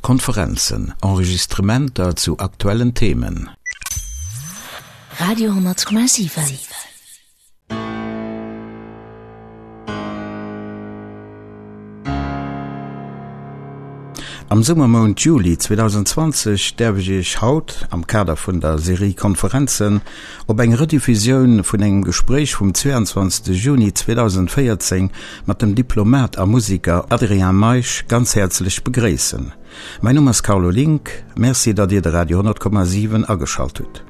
Konferenzen, Enregistrementer zu aktuellen Themen. Radio 10,7. Am Summermount Juli 2020 däerf ech Iech haut, am Kader vun der Serie Konferenzen, op eng Rediffusioun vun engem Gespréich vum 22 Juni 2014 mat dem Diplomat a Musiker Adrien Meisch ganz häerzlech begréissen. Mäin Numm ass Carlo Link. Merci, datt Dir de Radio 10,7 ageschalt hutt.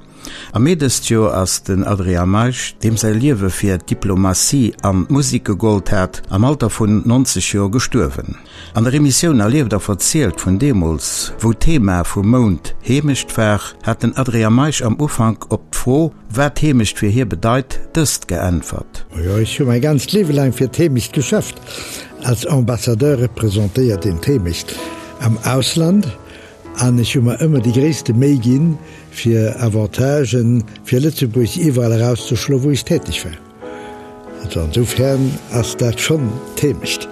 Am Mee dëst Joer ass den Adrien Meisch, deem säi Liewe fir d'Diplomatie an d'Musek gegollt hat, am Alter vun 90 Joer gestuerwen. An der Emissioun Erlieft a verzielt vun deemools, wou d'Thema vum Mount Heemecht war, hat den Adrien Meisch am Ufank op d'Fro, wat Heemecht fir hie bedeit, dëst geäntwert. Jo, ech hu mäi ganzt Liewe laang fir d'Heemecht geschafft. Als Ambassadeur representéiert een d'Heemecht am Ausland an ech hu mer ëmmer déi gréisste Méi ginn, fir Avantagen fir Lëtzebuerg iwwerall erauszeschloen, wou ech täteg war. Also ansoufern ass dat schonn d'Heemecht.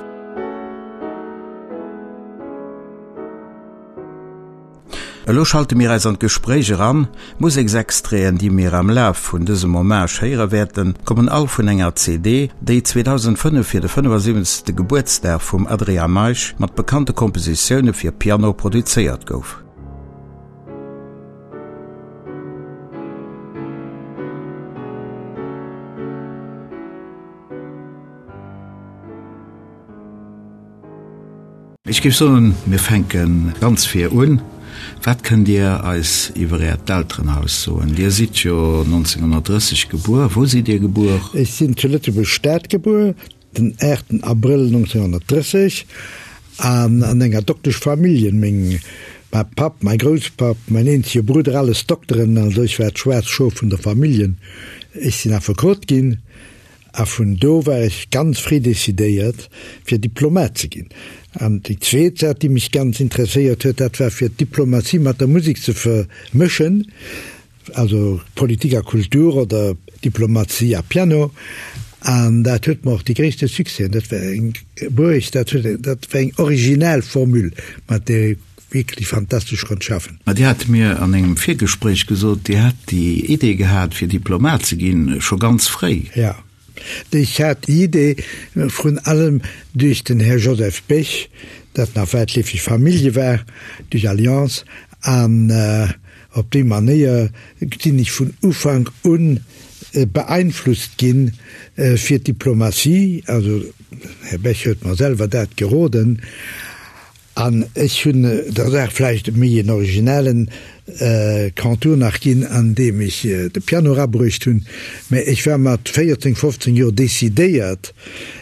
Elo schalte mir eis an d'Gespréich eran. D'Museksextraiten, déi mir am Laf vun dësem Hommage héiere wäerten, kommen all vun enger CD, déi 2005 fir de 75. Gebuertsdag vum Adrien Meisch mat bekannte Kompositioune fir Piano produzéiert gouf. Ech géif soen, mir fänke ganz vir un. Wat kënnt Dir eis iwwer Äert Elterenhaus soen? Dir sidd jo 1930 gebuer. Wou sidd Dir gebuer? Ech sinn zu Lëtzebuerg-Stad gebuer, den 8 Abrëll 1930, an an enger Dokteschfamilljen. Meng, mäi Papp, mäi Grousspapp, mäin eenzege Brudder, alles Dokteren. Also ech war d'schwaarz Schof vun der Familljen. Ech sinn Affekot ginn. A vun do war ech ganz fréi decidéiert, fir Diplomat ze ginn. An déi zweet Saach, déi mech ganz interesséiert huet, dat war fir d'Diplomatie mat der Musek ze vermëschen, also Politik a Kultur oder Diplomatie a Piano. An dat huet mer och déi gréisste Succèsen, dat war eng bruecht, dat huet, dat war eng original Formule, mat där ee wierklech fantastesch konnt schaffen. Mä Dir hat mir an engem Virgespréich gesot, Dir hätt déi Idee gehat, fir Diplomat ze ginn, scho ganz fréi. Jo, ech hat déi Idee vrun allem duerch den Här Joseph Bech, dat nach wäitleefeg Famillje war, duerch Alliance, an op déi Manéier sinn ech vun Ufank un beeinflusst ginn fir d'Diplomatie. Also, den Här Bech huet mer selwer dat geroden. An ech hunn der Saach vläicht méi en originellen Contour nach ginn, andeem ech de Piano erabruecht hunn. Mä ech war mat 14, 15 Joer decidéiert,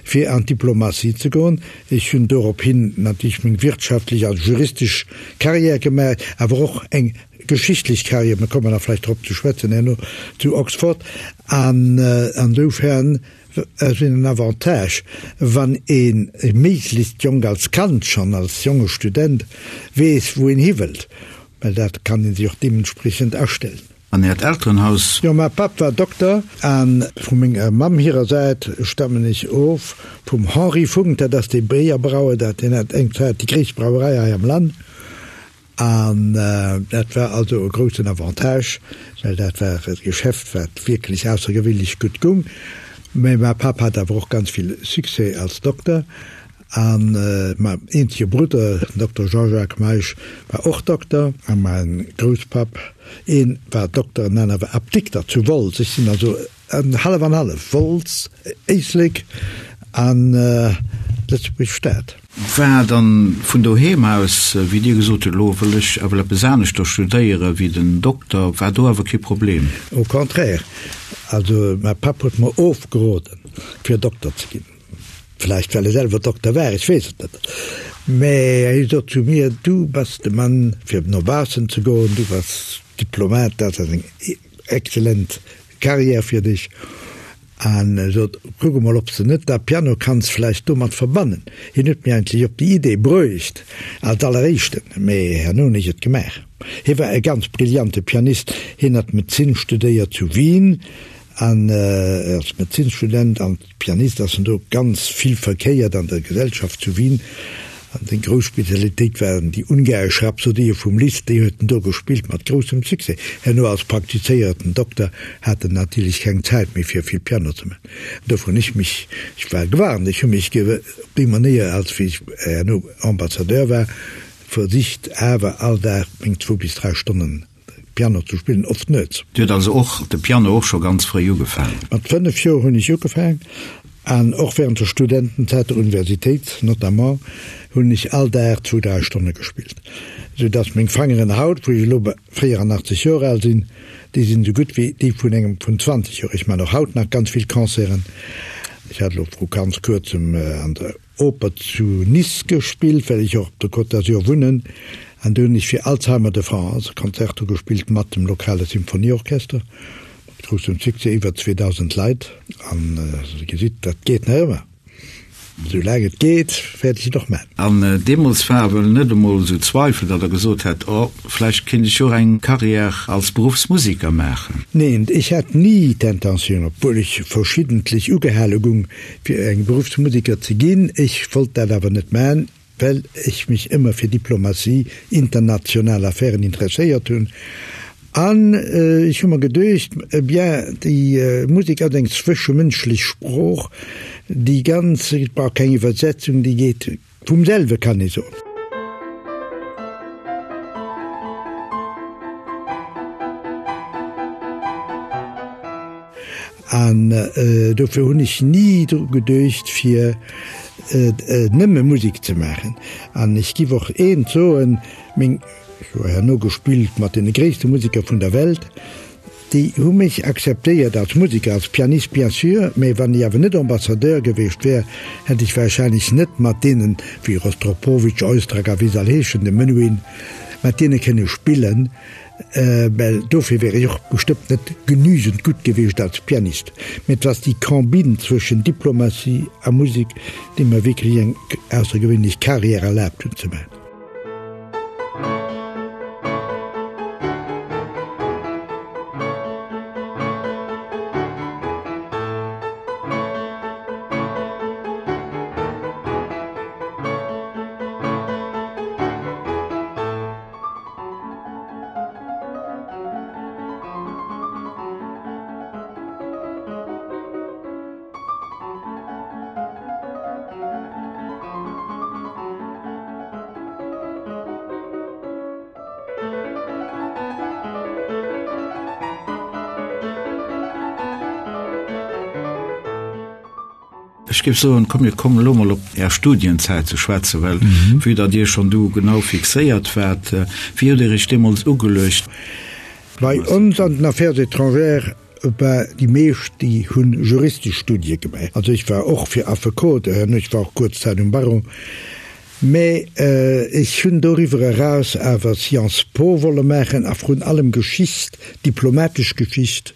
fir an d'Diplomatie ze goen. Ech hunn dorophin natierlech meng wirtschaftlech a juristesch Carrière gemaach, awer och eng geschichtlech Carrière, mir kommen nach vläicht drop ze schwätzen herno, zu Oxford. An ansoufern Et ass en Avantage, wann ee méiglechst jonk als Kand schonn, als jonge Student, weess, wou een hi wëllt, well dat kann ee sech och deementspriechend astellen. An Äert Elterenhaus? Jo, mäi Papp war Dokter a vu menger Mamm hirer Säit stammen ech of vum Henri Funck, dat ass dee Béierbrauer, dat deen hat eng Zäit déi gréisst Brauerei hei am Land. An dat war also e groussen Avantage, well dat war e Geschäft, wat wierklech aussergewéinlech gutt gung. Mä mäi Papp hat awer och ganz vill Succès als Dokter. A mäin eenzege Brudder, den Dokter Jean-Jacques Meisch, war och Dokter. A mäin Grousspapp, een war Dokter an aner war Apdikter zu Wolz. Ech sinn also En hallef an hallef, Wolz, Éislek an Lëtzebuerg Stad. War dann vun doheem aus, wéi Dir gesot hutt, elo wëll ech awer eppes aneschter studéiere wéi den Dokter, war do awer kee Problem? Au contraire, also mäi Papp huet mer ofgeroden, fir Dokter ze ginn. Vläicht well e selwer Dokter war, ech weess et net. Mä hie sot zu mir, Du bass de Mann fir no baussen ze goen, du bass Diplomat, dat ass eng excellent Carrière fir dech an sot, kuck emol ob s de net da Piano kanns vläicht domat verbannen. Hien huet mir eigentlech op déi Idee bruecht als alleréischten, mee herno hunn ech et gemaach. Hie war e ganz brillante Pianist, hien hat Medezin studéiert zu Wien an als Medezinsstudent an Pianist ass en do ganz vill verkéiert an der Gesellschaft zu Wien. An seng grouss Spezialitéit waren déi ungaresch Rhapsodië vum Liszt, déi huet en do gespillt mat groussem Succès. Herno als praktizéierten Dokter hat en natierlech keng Zäit méi fir vill Piano ze man. Dofir hunn ech mech, ech war gewarnt, ech hu mech op déi Manéier, als wéi ech herno Ambassadeur war, versicht awer all Dag meng zwou bis dräi Stonnen Piano ze spillen, oft nuets. Dir hutt also och de Piano och scho ganz fréi ugefaangen? Mat 5 Joer hunn ech ugefaang an och während der Studentenzäit, der Universitéit notamment, hunn ech all Dag zwou, dräi Stonne gespillt, sou dass meng Fangeren haut, wou ech elo 84 Joer al sinn, déi sinn esou gutt wéi déi vun engem vun 20 Joer. Ech man och haut nach ganz vill Concerten. Ech hat elo vru ganz kuerzem an der. Oper zu Nice gespillt, well ech och op der Côte d'Azur wunnen, an do hunn ech fir Alzheimer de France e Concerto gespillt mat dem lokale Symphonieorchester, mat groussem Succès, iwwer 2.000 Leit, an Dir gesitt, dat geet nach ëmmer. Esou laang et geet, wäert ech et och man. An deemools war wuel net emol esou Zweifel, datt Der gesot hätt, oh, vläicht kéint ech jo och eng Carrière als Beruffsmusiker maachen? Neen, ech hat ni d'Intentioun, obwuel ech verschiddentlech ugehale gung, fir eng Beruffsmusiker ze ginn. Ech wollt dat awer net man, well ech mech ëmmer fir Diplomatie, international Affären interesséiert hunn. An ech hu mer geduecht, eh bien, déi Musek ass eng zwëschemënschlech Sprooch, déi ganz, et brauch keng Iwwersetzung, déi geet Vum selwe kann ee soen. An dofir hunn ech ni dru geduecht, fir nëmme Musek ze maachen. An ech giff och eent soen, meng, ech hu herno gespillt mat deene gréisste Museker vun der Welt, Déi hu mech akzeptéiert als Museker, als Pianist bien sûr, mä wann ech awer net Ambassadeur gewiescht wär, hätt ech wahrscheinlech net mat deenen, wéi Rostropowitsch, Oistrakh a wéi se all heeschen, de Menuhin, mat deene kënne spillen, well dofir wär ech och bestëmmt net genügend gutt gewiescht als Pianist. Mä et ass déi Combine zwëschen Diplomatie a Musek, déi mer wierklech eng aussergewéinlech Carrière erlaabt hunn ze maachen. Ech géif soen, komm mir kommen elo mol op Är Studienzäit ze schwätzen, well vue datt Dir schonn du genau fixéiert waart, wéi hutt Dir Iech deemools ugeluecht? Bei ons an den Affaires étrangères Bah, déi meescht, déi hu juristesch Studie gemaach. Also ech war och fir Affekot, ech war och kuerz Zäit um Barreau, mä ech hunn doriwwer eraus awer Sciences Po wolle maachen a vrun allem Geschicht, diplomatesch Geschicht.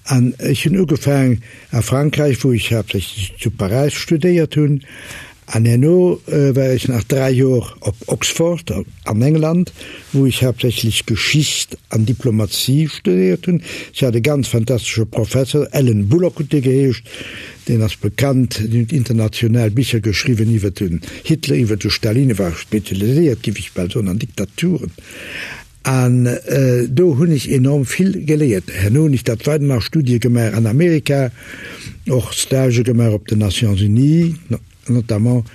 An ech hunn ugefaang a Frankräich, wou ech haaptsächlech zu Paräis studéiert hunn, An herno war ech nach 3 Joer op Oxford an England, wou ech haaptsächlech Geschicht an Diplomatie studéiert hunn. Ech hat e ganz fantastesche Professer, Alan Bullock huet dee geheescht, deen ass bekannt, deen huet international Bicher geschriwwen iwwer den Hitler, iwwer de Stalin, e war spezialiséiert, géif ech bal soen, an Diktaturen. An do hunn ech enorm vill geléiert. Herno hunn ech dat weider nach Studie gemaach an Amerika, och Stagë gemaach op den Nations Unies notamment.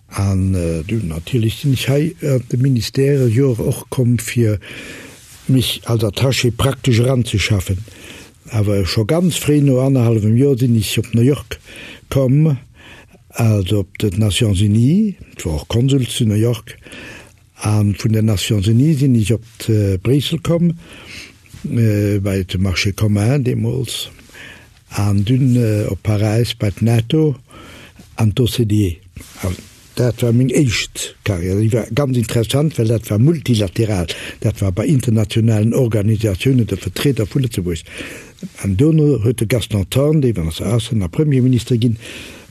An dunn natierlech sinn ech hei an de Ministère Joer och komm fir mech als Attaché praktesch eranzeschaffen. Awer scho ganz fréi, no annerhallwem Joer, sinn ech op New York komm, also op d'Nations Unies, ech war och Konsul zu New York, A vun den Nations Unies sinn ech op Bréissel komm, bei de Marché commun deemools, an dunn op Paräis bei d'NATO an d'OCDE. An dat war meng éischt Carrière. Déi war ganz interessant, well dat war multilateral, dat war bei internationalen Organisatiounen de Vertrieder vu Lëtzebuerg. An dono huet de Gaston Thorn, dee ass Aussen a Premierminister ginn,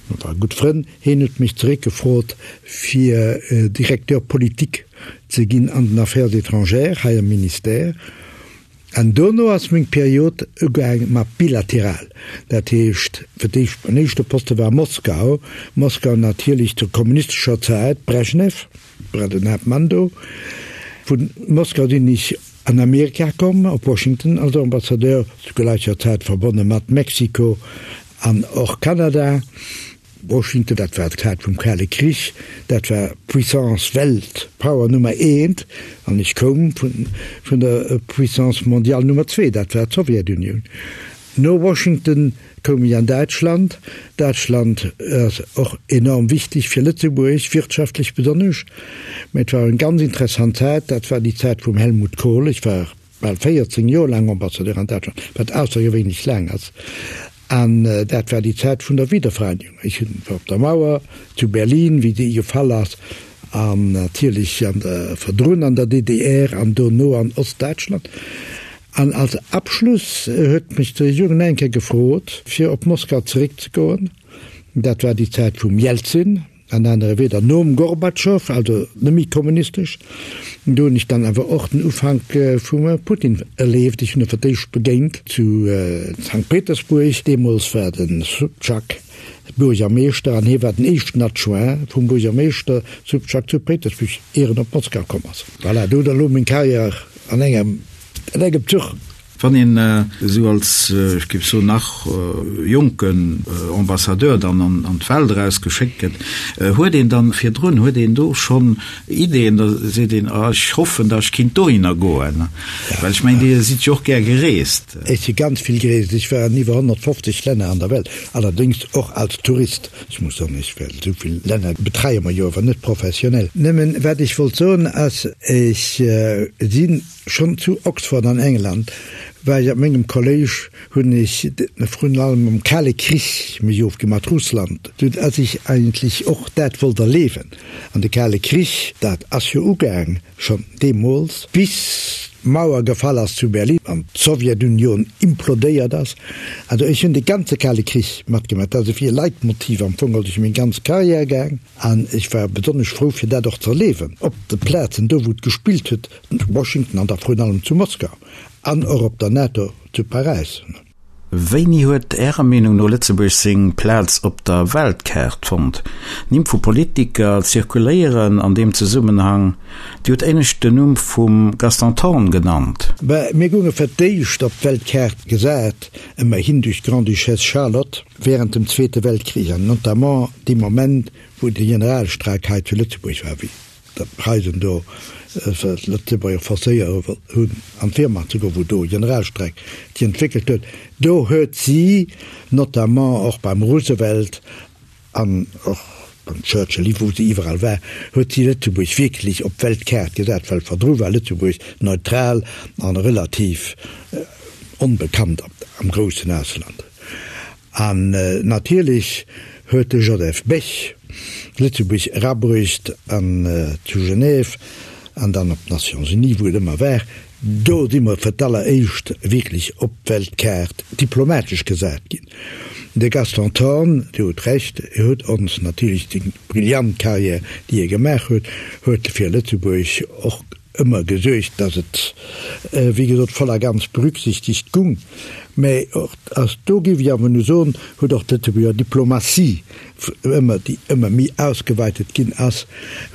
Mir ware gutt Frënn. Hien huet mech zeréckgefrot, fir Directeur politique ze ginn an den Affaires étrangères hei am Ministère. An dono ass meng Period ugaang mat bilateral. Dat heescht, fir d'éischt, mein éischte Poste war Moskau. Moskau natierlech zur kommunistescher Zäit, Brejnew war den Haaptmann do. Vu Moskau sinn ech an Amerika komm, op Washington als Ambassadeur, zu gläicher Zäit verbonne mat Mexiko an och Kanada. Washington, dat war d'Zäit vum Kale Krich, dat war d'Puissance, Welt Power Nummer eent, an ech koum vun der Puissance mondiale Nummer zwee, dat war d'Sowjetunioun. No Washington koum ech an Däitschland. Däitschland ass och enorm wichteg fir Lëtzebuerg, wirtschaftlech besonnesch. Mä et war eng ganz interessant Zäit, dat war déi Zäit vum Helmut Kohl. Ech war bal 14 Joer laang Ambassadeur an Däitschland, wat aussergewéinlech laang ass. An dat war déi Zäit vun der Wiedervereinigung. Ech war op der Mauer zu Berlin, wéi déi gefall ass, an natierlech an der, virdrun an der DDR an dono an Ostdäitschland. An als Abschluss huet mech d'Regierung nach eng Kéier gefrot, fir op Moskau zeréckzegoen. Dat war déi Zäit vum Jelzin. An anere Wieder, nom Gorbatschow, also net méi kommunistesch. Do hunn ech dann awer och den Ufank vum Putin erleeft. Ech hunn e fir d'éischt begéint zu Sankt Petersburg. Deemools war de Sobtschak Buergermeeschter an hie war den éischten Adjoint vum Buergermeeschter Sobtschak zu Petersburg, ier en op Moskau komm ass. Voilà, do huet elo meng Karriär an engem Zuch. Wann een esou als, ech géif soen, nach jonken Ambassadeur dann an d'Welt eraus geschéckt gëtt, huet een dann virdrun, huet een do schonn Ideeën, da seet een, ah ech hoffen, datt ech kinnt dohinner goen, well ech mengen, Dir sidd jo och gär gereest. Ech si ganz vill gereest, ech war an iwwer 150 Länner an der Welt, allerdéngs och als Tourist. Ech muss soen, ech well esou vill Länner betreie mer jo awer net professionell. Nëmmen wat ech wollt soen ass, ech sinn, Schonn zu Oxford an England war ech op mengem Kolléisch, hunn ech vrun allem am Kale Krich mech ofgi mat Russland, sou dass ech eigentlech och dat wollt erleewen. An de Kale Krich, dat ass jo ugaang schonn deemools, bis d'Mauer gefall ass zu Berlin an d'Sowjetunion implodéiert ass. Also ech hunn de ganze Kale Krich matgemaach. Dat ass e fir Leitmotiv am Fong geholl duerch meng ganz Carrière gaang. An ech war besonnesch frou fir dat och ze erleewen op de Plazen do wou et gespillt huet, zu Washington an da vrun allem zu Moskau an och op der NATO zu Paräis. Wéini huet Ärer Meenung no Lëtzebuerg seng Plaz op der Weltkaart fonnt? Nimm vu Politiker zirkuléieren an deem Zesummenhang. Dir hutt éinescht den Numm vum Gaston Thorn genannt. Bah, mir gounge fir d'éischt op d'Weltkaart gesat, ëmmerhin duerch d'Grande-Duchesse Charlotte während dem Zweete Weltkrich an notamment dee Moment, wou de Generalstreik hei zu Lëtzebuerg war, wéi d'Preisen do d'Lëtzebuerger forcéiert hunn, an d'Wehrmacht ze goen, wou do e Generalstreik déi entwéckelt huet. Do huet si notamment och beim Roosevelt an och beim Churchill, wou se iwwerall war, huet si Lëtzebuerg wierklech op d'Weltkaart gesat, well verdru war Lëtzebuerg neutral an relativ onbekannt am groussen Ausland. An natierlech huet de Joseph Bech Lëtzebuerg erabruecht an zu Genève an dann op d'Nations Unies, wou et ëmmer war. Do si mer fir d'alleréischt wierklech op d'Weltkaart diplomatesch gesat ginn. De Gaston Thorn, Dir hutt Recht, huet ons natierlech seng brillant Carrière, déi e gemaach huet, huet fir Lëtzebuerg och ëmmer gesuergt, datt et, wéi gesot, voll a ganz berücksichtegt gung. Mä och ass, do géif ech awer nu soen, huet och d'Lëtzebuerger Diplomatie ëmmer, déi ëmmer méi ausgeweitet ginn ass,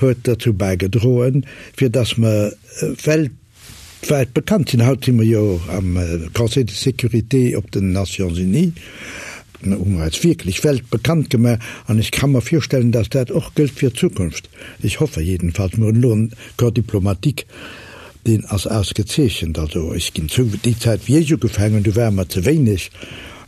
huet derzou bäigedroen, fir datt mer weltwäit bekannt sinn. Haut si mer jo am Conseil de sécurité op den Nations Unies. Hu mer eis wierklech weltbekannt gemaach an ech ka mer virstellen, datt dat och gëllt fir d'Zukunft. Ech hoffe jedenfalls. Mir hunn elo en Corps diplomatique, deen ass ausgezeechent. Also ech ginn zou, déi Zäit wéi ech ugefaangen hunn, do ware mer ze wéineg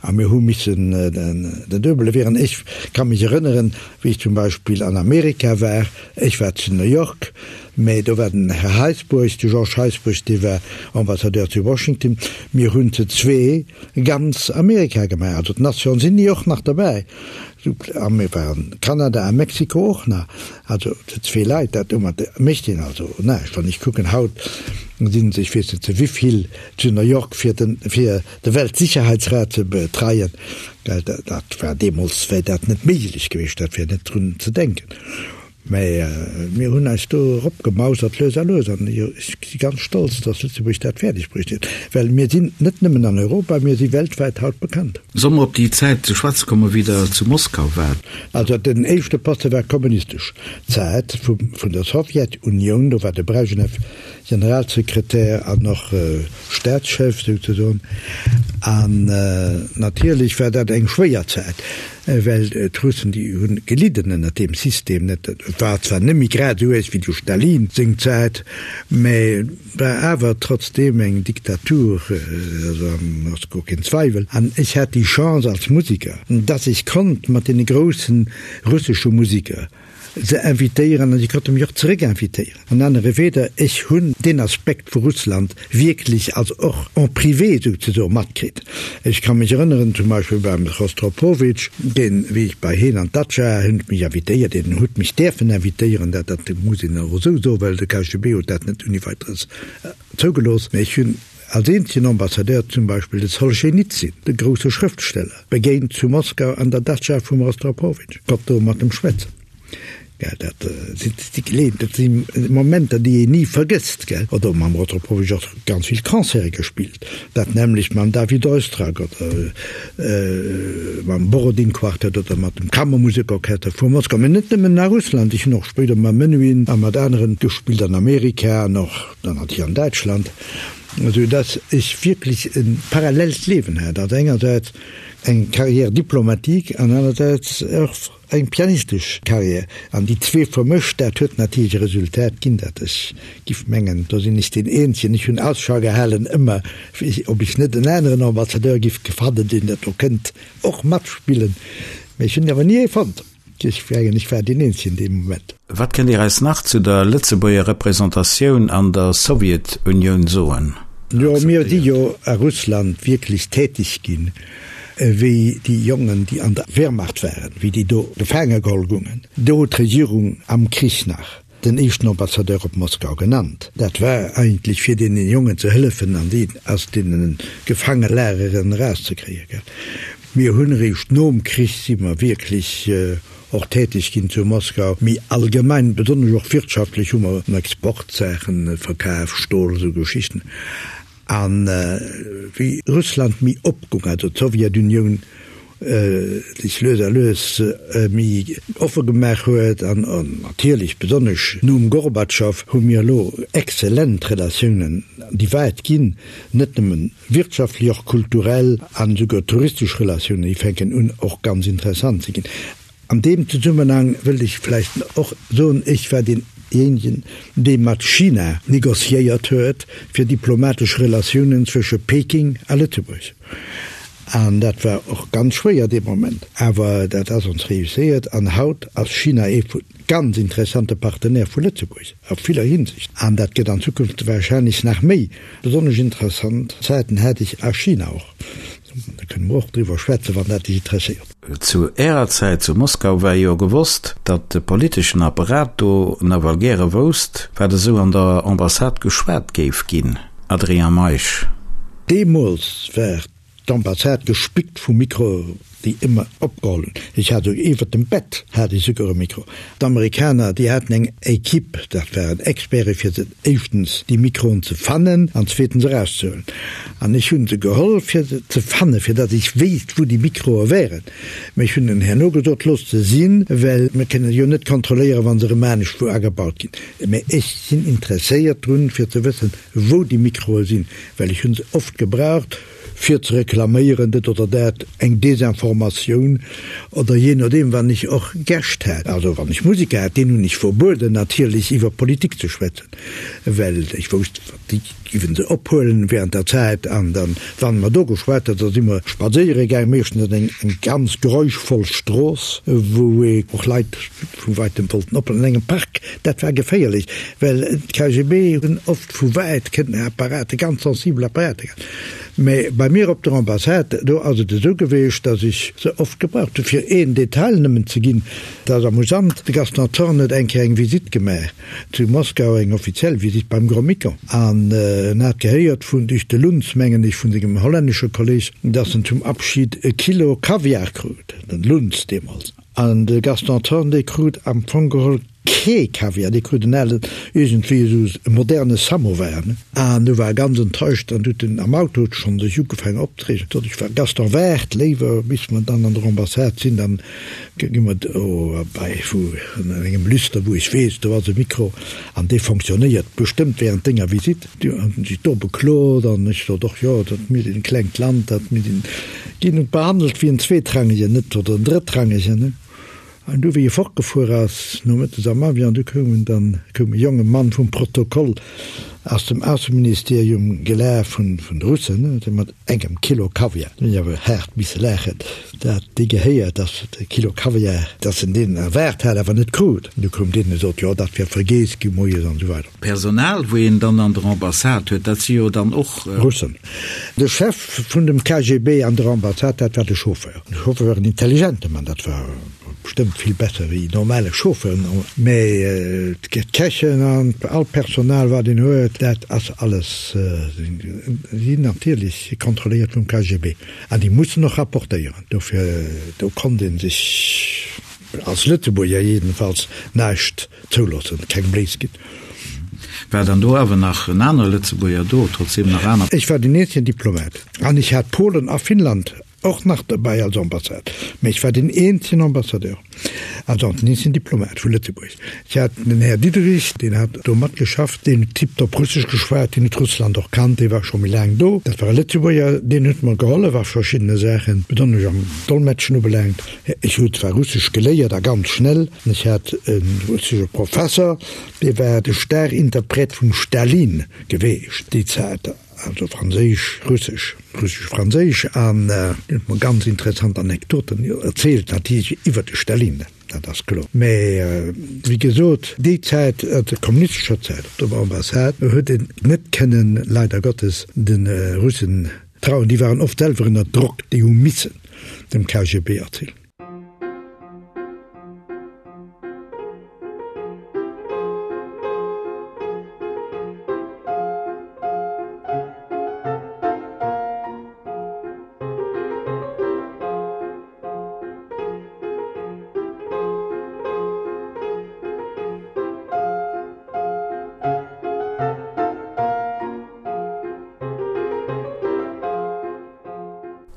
a mir hu missen den Duebele wieren. Ech ka mech erënneren, wéi ech zum Beispill an Amerika war, ech war zu New York, mä do war den Här Heisbourg, de Georges Heisbourg, dee war Ambassadeur zu Washington, mir hunn zu zwee ganz Amerika gemaach, also d'Nations Unies och nach derbäi, a mir waren Kanada a Mexiko och nach, also zu zwee Leit, dat domat mécht een also näischt. Wann ech kucken, haut sinn se, ech weess net zu wéivill, zu New York fir den, fir de Weltsicherheitsrat ze betreien, dat war deemools, wär dat net méiglech gewiescht, dat wär net drun ze denken. Mä mir hunn eis do eropgemausert, lues a lues, an ech si ganz stolz, datt Lëtzebuerg dat fäerdeg bruecht huet, well mir sinn net nëmmen an Europa, mir si weltwäit haut bekannt. Solle mer op déi Zäit ze schwätze kommen, wéi Der zu Moskau waart? Also den éischte Poste war kommunistesch Zäit vun der Sowjetunioun, do war de Brejnew Generalsekretär an och Staatschef souzesoen. An natierlech war dat eng schwéier Zäit, well d'Russen, déi hu gelidden ënnert deem System. Et war zwar net méi grad esou uerg wéi du Stalin seng Zäit, mä et war awer trotzdeem eng Diktatur, also ass guer keen Zweiwel. An ech hat déi Chance als Musiker, dass ech konnt mat deene grousse russesche Musiker se invitéieren an si konnte mech och zeréck invitéieren. An anere Wieder, ech hunn deen Aspekt vu Russland wierklech, also och en privé souzesoe matkritt. Ech ka mech erënneren, zum Beispill beim Rostropowitsch, deen, wéi ech bei heen an d'Datscha, hien huet mech invitéiert, hien huet mech däerfen invitéieren, dat, dat muss een och esou soen, well de KGB huet dat net ouni Weiteres zougelooss, mä ech hunn als eenzegen Ambassadeur zum Beispill de Solschenizyn, de grousse Schrëftsteller, begéint zu Moskau an der Datscha vum Rostropowitsch, konnt do mat em schwätzen. Gell, dat si déi Geleeën, dat si Momenter, déi een ni vergësst, gell. Oder mam Rostropowitsch och ganz vill Concerte gespillt, dat nämmlecht mam David Oistrakh oder mam Borodin Quartet oder mat dem Kammermusekorchester vu Moskau. Mä net nëmmen a Russland, ech hunn och spéider mam Menuhin a mat aneren gespillt an Amerika an och dann natierlech an Däitschland, esou dass ech wierklech e parallellt Liewen hat, also engersäits eng Carrière diplomatique an anersäits och eng pianistesch Carrière. An déi zwee vermëscht, dat huet natierlech e Resultat ginn, dat ech giff mengen, do sinn ech deen eenzegen, ech hunn Ausschau gehalen ëmmer, ob ech net en aneren Ambassadeur giff fannen, deen dat do kënnt och matspillen, mä ech hunn awer ni ee fonnt. Ech mengen, ech war deen eenzegen dee Moment. Wat kënnt Dir eis nach zu der Lëtzebuerger Representatioun an der Sowjetunioun soen? Jo, mir si jo a Russland wierklech täteg ginn, wéi déi Jongen, déi an der Wehrmacht waren, wéi déi do gefaange geholl gungen. Do huet d'Regierung am Krich nach den éischten Ambassadeur op Moskau genannt. Dat war eigentlech fir deene Jongen ze hëllefen an déi aus deene Gefaangelageren erauszekréien. Mir hunn eréischt nom Krich si mer wierklech och täteg ginn zu Moskau. Méi allgemein, besonnesch och wirtschaftlech, hu mer Exportsaachen verkaf, Stol, esou Geschichten. A wéi Russland méi opgung, also d'Sowjetunioun sech lues a lues méi offe gemaach huet, an natierlech besonnesch nom Gorbatschow, hu mir elo exzellent Relatiounen, déi wäit ginn, net nëmmen wirtschaftlech, och kulturell an esouguer touristesch Relatiounen, déi fänken un och ganz interessant ze ginn. An deem Zesummenhang wëllt ech vläicht och soen, ech war deenjéinegen, dee mat China négociéiert huet fir diplomatesch Relatiounen zwësche Peking a Lëtzebuerg. An dat war och ganz schwéier dee Moment, awer dat ass ons réusséiert. An haut ass China ee vu ganz interessante Partenaire vu Lëtzebuerg a viller Hinsicht. An dat gëtt an Zukunft wahrscheinlech nach méi. Besonnesch interessant Zäiten hat ech a China och. Da kënne mer och driwwer schwätzen, wann dat Iech interesséiert. Zu Ärer Zäit zu Moskau war jo gewosst, datt de politeschen Apparat do nawell gäre wousst, wat esou an der Ambassade geschwat géif ginn. Adrien Meisch. Deemools war d'Ambassade gespickt vu Mikroe, déi ëmmer opgeholl hunn. Ech hat esouguer iwwert dem Bett hat ech esouguer e Mikro. D'Amerikaner, déi haten eng Equipe, dat waren Experte fir se éischtens déi Mikroen ze fannen an zweetens erauszehuelen. An ech hu se geholl fir se ze fannen, fir datt ech wéisst wou déi Mikroe wären. Mä ech hunn hinnen herno gesot, loosst se sinn, well mir kënnen jo net kontrolléieren, wa se erëm anescht wou agebaut ginn. Mä ech sinn interesséiert drun, fir ze wëssen, wou déi Mikroe sinn, well ech hu se oft gebraucht, fir ze reklaméieren, dit oder dat, eng Desinformatioun oder jee nodeem, wann ech och Gäscht hat, also wann ech Musiker hat, deenen hunn ech verbueden natierlech iwwer Politik ze schwätzen, well ech wousst, déi géiwe se ophuelen während der Zäit an dann, wann mer do geschwat hat, da si mer spadséiere gaang, meeschtens an eng eng ganz geräuschvoll Strooss, wou ee och Leit vu weitem wollten ophuelen, an engem Park, dat war geféierlech, well d'KGB hunn oft vu wäit kënnen Apparate, ganz sensibel Apparater gehat. Mä bei mir op der Ambassade, do ass et esou geweecht, datt ech se oft gebraucht hunn. Fir een Detail nëmmen ze ginn, dat ass amusant, de Gaston Thorn huet eng Kéier eng Visitt gemaach zu Moskau, eng offiziell Visitt beim Gromyko, an en hat gehéiert vun, duerch de Luntz, mengen ech, vun sengem hollännesche Kolleg, datt en zum Abschid e Kilo Kaviar krut, den Luntz deemools. An de Gaston Thorn, dee krut am Fong geholl. Kee Kaviar, dee krut en alen, iergendwéi esou e moderne Samovar, ne? An du war e ganz enttäuscht an huet en am Auto schonn sech ugefaangen opzereegen. Sot ech, Gaston, waart léiwer, bis mer dann an der Ambassade sinn, dann gi mer do bei wou an engem Lüster, wou ech weess, do ass e Mikro an dee fonctionnéiert bestëmmt während denger Visitt. Du huet en sech do beklot an ech sot och, jo, dat mir sinn e klengt Land, dat mir sinn, ginn et behandelt wéi en Zweetrangegen, net, oder en Drëttrangegen, ne? An du wéi e fortgefuer ass, nomëttes am Avion, du koum en dann, koum e jonge Mann vum Protokoll aus dem Ausseministerium gelaf, vun, vun de Russen, ne, mat engem Kilo Kaviar. Du hunn ech awer haart misse laachen, dat dee gehéiert, dass e Kilo Kaviar, dass en deen erwaart hat, awer net krut. An du koum deen a sot, jo, dat wier vergeess gi moies an esou weider. D'Personal, wou een dann an der Ambassade huet, dat si jo dann och. Russen. De Chef vun dem KGB an der Ambassade, dat war de Chauffeur. De Chauffeur war en intelligente Mann, dat war bestëmmt vill besser wéi normale Chauffeuren, mä d'Kächen an all Personal, wat een huet, dat ass alles, sinn natierlech kontrolléiert vum KGB an déi mussen och rapportéieren. Dofir, do konnt ee sech als Lëtzebuerger jedenfalls näischt zouloossen, keng Bléis ginn. War dann do awer nach en anere Lëtzebuerger do, trotzdem nach aner? Ech war den eenzegen Diplomat an ech hat Polen a Finnland och nach derbäi als Ambassade, mä ech war den eenzegen Ambassadeur, also den eenzegen Diplomat vu Lëtzebuerg. Ech hat den Här Diderich, deen hat do matgeschafft, deen huet tiptop Russesch geschwat, deen huet Russland och kannt, dee war scho méi laang do. Dat war e Lëtzebuerger, deen huet mer gehollef a verschiddene Saachen, besonnesch am Dolmetschen ubelaangt. Ech hu zwar Russesch geléiert a ganz schnell, ech hat e russesche Professer, dee war de Starinterpret vum Stalin geweecht déi Zäit, also Franséisch, Russesch, Russesch-Franséisch, an deen huet mer ganz interessant Anekdoten erzielt, natierlech iwwer de Stalin, dat ass kloer. Mä wéi gesot, déi Zäit, der kommunistescher Zäit op der Ambassade, huet een net kënnen, leider Gottes, de Russen Trauen, déi waren oft selwer ënner Drock, déi hu missen dem KGB erzielen.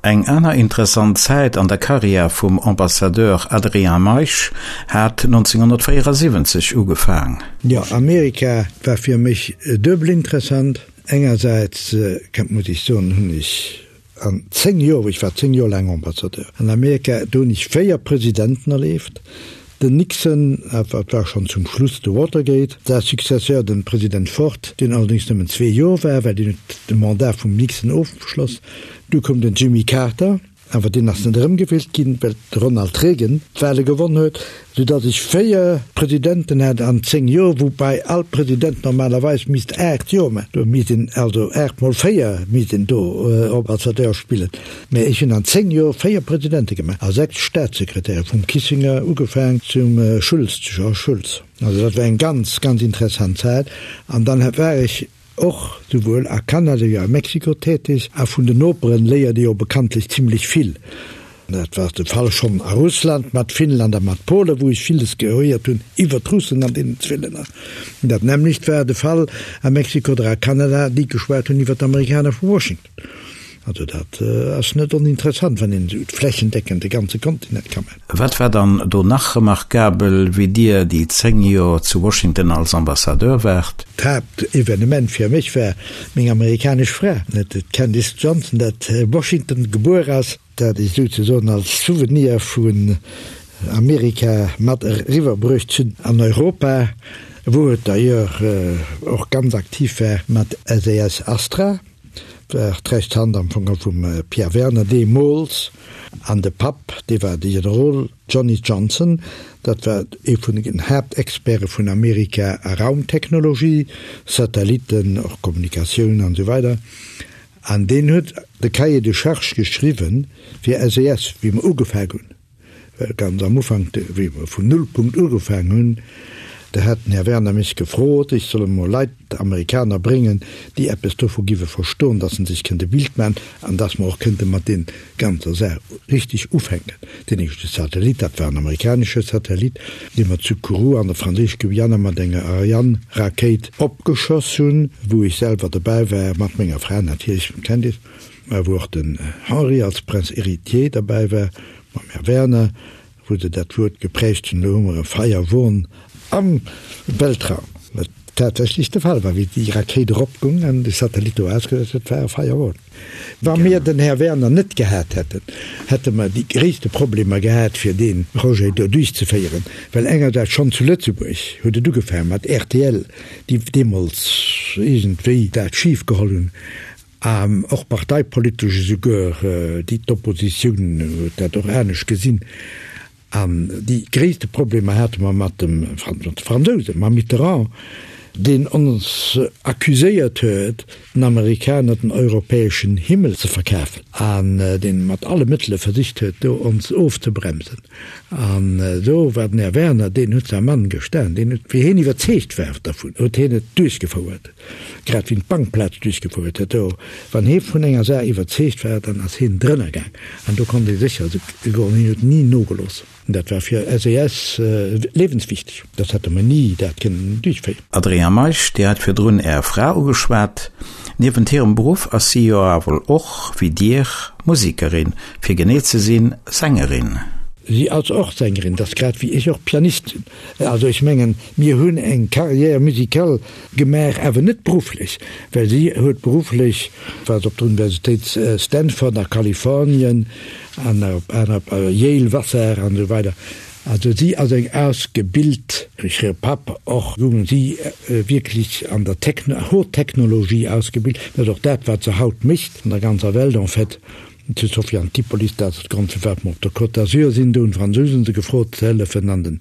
Eng aner interessant Zäit an der Karriär vum Ambassadeur Adrien Meisch hat 1974 ugefaang. Jo, Amerika war fir mech duebel interessant. Engersäits, muss ech soen, hunn ech An 10 Joer, ech war 10 Joer laang Ambassadeur an Amerika, do hunn ech 4 Presidenten erleeft, den Nixon, dat war schonn zum Schluss de Watergate, säi Successeur, den President Ford, deen allerdéngs nëmmen zwee Joer war, well deen huet de Mandat vum Nixon ofgeschloss, du koum den Jimmy Carter, awer deen ass net erëmgewielt ginn, well de Ronald Reagan d'Wahle gewonn huet. Sou datt ech 4 Presidenten hat an 10 Joer, woubäi all President normalerweis misst 8 Joer maachen. Do misst een also 8 mol 4 misst een do Ambassadeur spillen. Mä ech hunn an 10 Joer 4 Presidente gemaach a 6 Staatssekretäre, vum Kissinger ugefaang zum Schulz, zu Georges Schulz. Also dat war eng ganz, ganz interessant Zäit. An dann war ech och souwuel a Kanada wéi a Mexiko täteg, a vun den Noperen léiert ee jo bekanntlech zimlech vill. Dat war de Fall schonn a Russland, mat Finnland a mat Polen, wou ech villes gehéiert hunn iwwer d'Russen an deenen zwee Länner. Dat nämmlecht war de Fall a Mexiko oder a Kanada, déi geschwat hunn iwwer d'Amerikaner vu Washington. Also dat ass net oninteressant, wann een esou flächendeckend de ganze Kontinent ka maachen. Wat war dann do nach remarkabel, wéi Dir déi 10 Joer zu Washington als Ambassadeur waart? D'Haaptevenement fir mech war meng amerikanesch Fra, d'Candice Johnson, dat Washington gebuer ass, dat ech souzesoen als Souvenir vun Amerika mat eriwwer bruecht hunn an Europa, wou et d'ailleurs och ganz aktiv war mat SAS Astra. War d'rechts Hand am Fong vum Pierre Werner deemools, an de Papp, dee war de Generol Johnny Johnson, dat war ee vun den Haaptexperte vun Amerika a Raumtechnologie, Satellitten, och Kommunikatioun an esou weider, an deen huet de Cahier de charges geschriwwen fir SES, wéi mer ugefaang hunn. Well ganz am Ufank, wéi mer vun Nullpunkt ugefaang hunn. Da hat den Här Werner mech gefrot, ech soll emol Leit, Amerikaner bréngen, déi eppes dovu giwe verstoen, dass se sech kënnte Bild maachen an dass mer och kënnte mat deem ganzer Saach richteg ufänken. Deen éischte Satellit, dat war en amerikanesche Satellit, dee mer zu Kourou an der Franséisch-Guyana mat enger Ariane-Rakéit opgeschoss hunn, wou ech selwer dobäi war, mat menger Fra natierlech, kennt Dir, mä wou och den Henri als Prince héritier derbäi war, mam Här Werner, wou se dat Wuert geprägt hunn, elo hu mer e Feierwon am Weltraum, wat tatsächlech de Fall war, wéi déi Rakéit eropgung an de Satellit do ausgesetzt huet, war e Feierwon. Wa mir den Här Werner net gehat hätten, hätte mer déi gréisste Problemer gehat, fir dee Projet do duerchzeféieren, well engersäits schonn zu Lëtzebuerg huet et ugefaange mat rtl, déi deemools iergendwéi dat schif geholl hunn, An och parteipolitesch esouguer, déi d'Oppositioun huet dat och anescht gesinn. An déi gréisste Problemer hate mer mat dem, mat de Fransousen, mam Mitterrand, deen ons accuséiert huet, den Amerikaner den europäeschen Himmel ze verkafen an deen mat alle Mëttele versicht huet, do ons ofzebremsen. An do war den Här Werner, deen huet säi Mann gestan, deen huet, wéi hien iwwerzeegt war dervun, huet hien et duerchgefouert. Grad wéi en d'Bankplaz duerchgefuert huet. Do, wann hee vun enger Saach iwwerzeegt war, dann ass hien drënner gaang. An do konnt ee sécher goen, hien huet ni nogelooss. Dat war fir SES liewenswichteg. Soss hätte mer ni dat kënnen duerchféieren. Adrien Meisch, Dir hat virdrun Är Fra ugeschwat. Niewent hirem Beruff ass si jo awer och, wéi Dir, Musekerin, fir genee ze sinn, Sängerin. Si ass och Sängerin, dat ass grad wéi ech och Pianist sinn. Also ech mengen, mir hunn eng Carrière musicale gemaach, awer net berufflech, well si huet berufflech, war se op der Universitéit Stanford a Kalifornien an op aner, Yale, Vassar an esou weider. Also si ass eng ausgebilt, duerch hire Papp och, hunn si wierklech an der Haute Technologie ausgebilt. Dat ass och dat, wat se haut mécht an der ganzer Welt en fait. Zu Sophia Antipolis, dat ass de Grond firwat mer op der Côte d'Azur sinn, do hunn d'Fransousen se gefrot ze hëllefen an den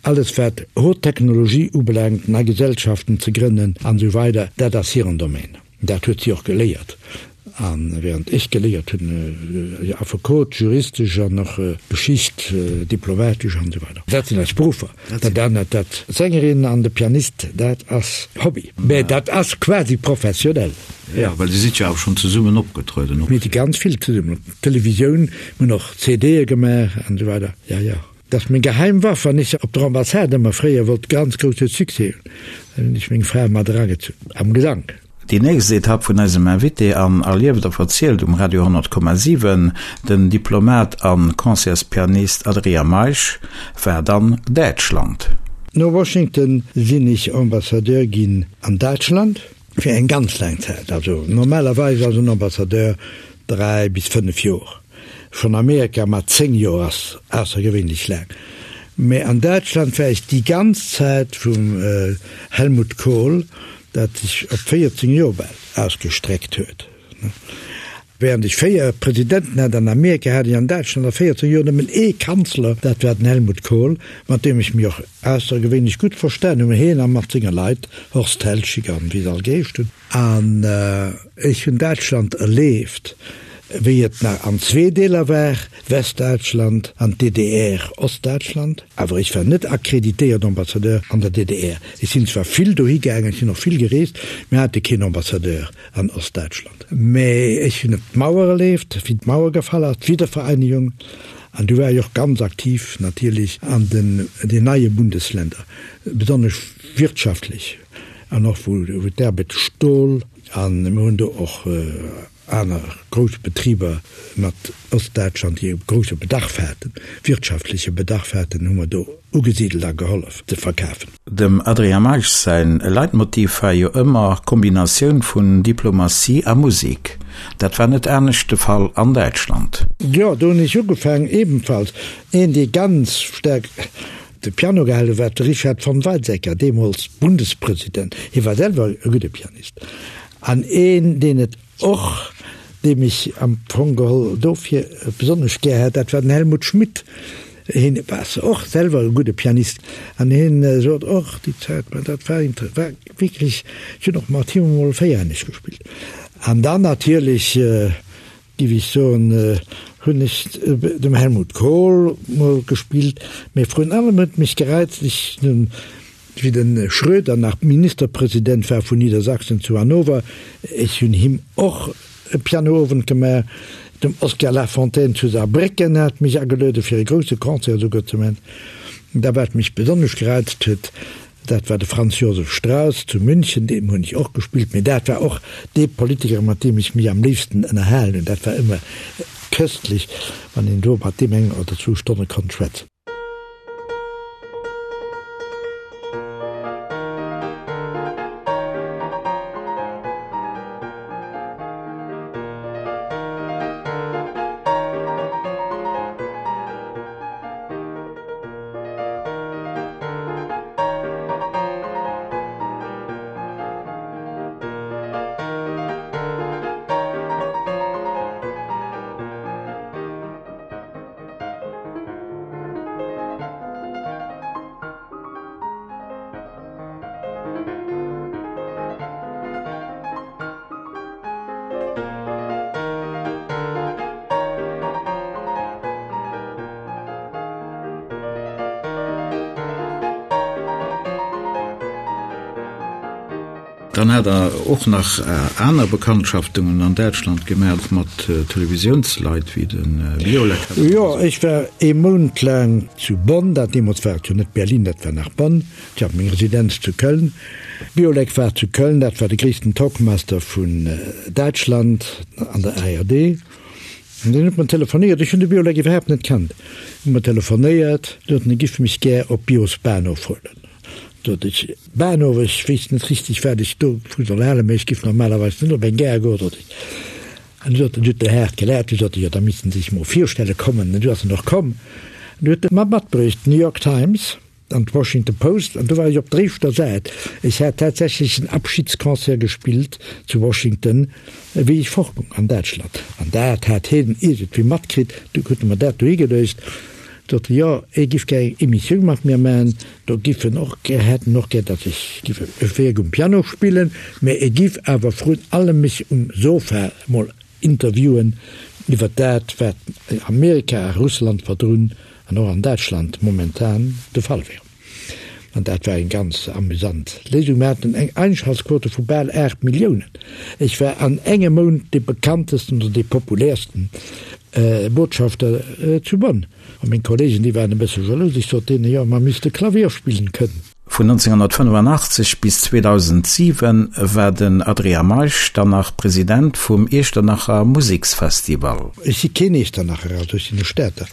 alles wat Haute Technologie ubelaangt, nei Gesellschaften ze grënnen an esou weider, dat ass hiren Domaine. Dat huet si och geléiert. A während ech geléiert hunn, Affekot, juristesch an och Geschicht, diplomatesch an esou weider. Dat sinn eis Beruffer. Dat anert, dat d'Sängerin an de Pianist, dat ass Hobby, mä dat ass quasi professionell. Jo, well Dir sidd jo awer schonn zesummen opgetrueden. Mir si ganz vill zesummen op Televisioun, mir hunn och CDe gemaach an esou weider. Jo, jo. Dat ass meng geheim Waff, wann ech op der Ambassade ëmmer fréier wollt ganz grousse Succès hunn, dann hunn ech meng Fra mat eragezunn am Gesank. Déi nächst Etapp vun eisem Invité an Erlieft a Verzielt um Radio 100,7, den Diplomat a Concertspianist Adrien Meisch, war dann Däitschland. No Washington sinn ech Ambassadeur ginn an Däitschland. Fir eng ganz laang Zäit. Also normalerweis ass en Ambassadeur 3 bis 5 Joer. Schonn Amerika mat 10 Joer ass aussergewéinlech laang. Mä an Däitschland war ech déi ganz Zäit vum Helmut Kohl, dat sech op 14 Joer bal ausgestreckt huet. Während ech 4 Presidenten hat an Amerika, hat ech an Däitschland a 14 Joer nëmmen ee Kanzler, dat war den Helmut Kohl, mat deem ech mech och aussergewéinlech gutt verstan hunn, hien a mat senger Leit, Horst Teltschik an wéi se all geheescht hunn. An ech hunn Däitschland erleeft, wéi et nach an zwee Deeler war, Westdäitschland an d'DDR, Ostdäitschland. Awer ech war net akkreditéiert Ambassadeur an der DDR. Ech sinn zwar vill dohi gaangen, ech sinn och vill gereest, mir hate keen Ambassadeur an Ostdäitschland. Mä ech hunn d'Mauer erleeft, wéi d'Mauer gefall ass, d'Wiedervereinigung. An du war ech och ganz aktiv natierlech an den den neie Bundesländer, besonnesch wirtschaftlech an och wou d'Arbed Stol an mir hunn do och aner grouss Betriber mat Ostdäitschland, déi e grousse Bedarf haten, wirtschaftleche Bedarf haten, hu mer do ugesidelt a gehollef ze verkafen. Dem Adrien Meisch säin Leitmotiv war jo ëmmer d'Kombinatioun vun Diplomatie a Musek. Dat war net anescht de Fall an Däitschland. Jo, do hunn ech ugefaangen, ebenfalls een, dee ganz staark de Piano gehal huet, war de Richard von Weizsäcker, deemools Bundespresident. Hie war selwer e gudde Pianist an een, deen et och, deem ech am Fong geholl dofir besonnesch gär hat, dat war den Helmut Schmidt. Hien war och selwer e gudde Pianist an hien sot och déi Zäit, ma dat war war wierklech, ech hunn och mat him emol véierhänneg gespillt. An dann natierlech, géif ech soen, hunn ech dem Helmut Kohl mol gespillt, mee vrun allem huet mech gereizt, ech hunn. Wéi de Schröder nach Ministerpresident war vun Niedersachsen zu Hannover, ech hunn him och e Pianoowend gemaach. Dem Oskar Lafontaine zu Saarbrécken hat mech ageluede fir e grousse Concert esouguer ze man. Da wat mech besonnesch gereizt huet, dat war de Franz Josef Strauss zu München, deem hunn ech och gespillt, mee dat war och dee Politiker mat deem ech mech am léifsten ënnerhalen hunn. Dat war ëmmer köstlech, wann een do mat deem eng oder zwou Stonne konnt schwätzen. Dann hat Der och nach aner Bekanntschaftungen an Däitschland gemaach mat Televisiounsleit wéi de Biolek. Jo, ech war ee Mount laang zu Bonn, dat deemools war et jo net Berlin, dat war nach Bonn. Ech hat meng Residenz zu Köln. Biolek war zu Köln, dat war de gréissten Talkmaster vun Däitschland an der ARD. An deen huet mer telefonéiert, ech hunn de Biolek iwwerhaapt net kannt, huet mer telefonéiert, sot en, e giff mech gär op Bios Bahnhof huelen. Sot ech, Bahnhof, ech weess net richteg, wat ech dovu soll halen, mä ech giff normalerweis net op eng Gare goen, sot ech. An du sot en, du huet en haart gelaacht, du sot e, jo, da misst en sech mol virstelle kommen. An du ass en och komm. An du huet e mer matbruecht d'New York Times an d'Washington Post, an do war ech op der éischter Säit. Ech hat tatsächlech en Abschiedsconcert gespillt zu Washington, wéi ech fortgung an Däitschland. An dat hat hien iergendwéi matkritt, du huet e mer dat dohi geluecht. Sot e, jo, e giff gär eng Emissioun mat mir man, do giff en och gär, hätt en och gär, datt ech giff e Wierk um Piano spillen, mä e giff awer vrun allem mech um Sofa mol interviewen iwwer dat, wat Amerika a Russland verdrun an och an Däitschland momentan de Fall wär. An dat war eng ganz amüsant Léisung. Mir haten eng Einschaltquote vu bal 8 Milliounen. Ech war an engem Mount dee bekanntesten oder dee populärsten Botschafter zu Bonn. A meng Kollegen, déi waren e bësse jalous. Ech sot deenen, jo, mer misste Klavier spillen kënnen. Vun 1985 bis 2007 war den Adrien Meisch dann nach President vum Iechternacher Museksfestival. Ech si keen Iechternacher, also ech sinn e Stater.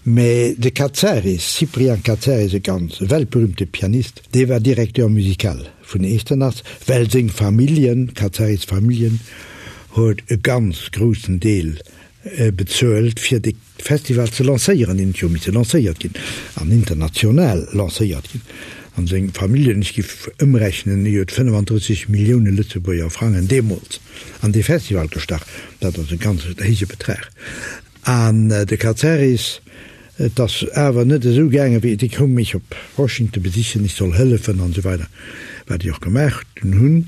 Mä de Katsaris, Cyprien Katsaris, e ganz weltberühmte Pianist, dee war Directeur musical vun Echternach, well seng Familljen, Katsaris Familljen, huet e ganz groussen Deel bezuelt, fir de Festival ze lancéieren. Deen huet jo misse lancéiert ginn an international lancéiert ginn. An seng Familljen, ech giff ëmrechnen, déi huet 35 Millioune Lëtzebuerger Frangen deemools an dee Festival gestach. Dat ass e ganz héije Betrag. An de Katsaris, et ass awer net esou gaangen, wéi, déi koume mech op Washington besichen, ech soll hëllefen an esou weider, wat ech och gemaach dunn hunn.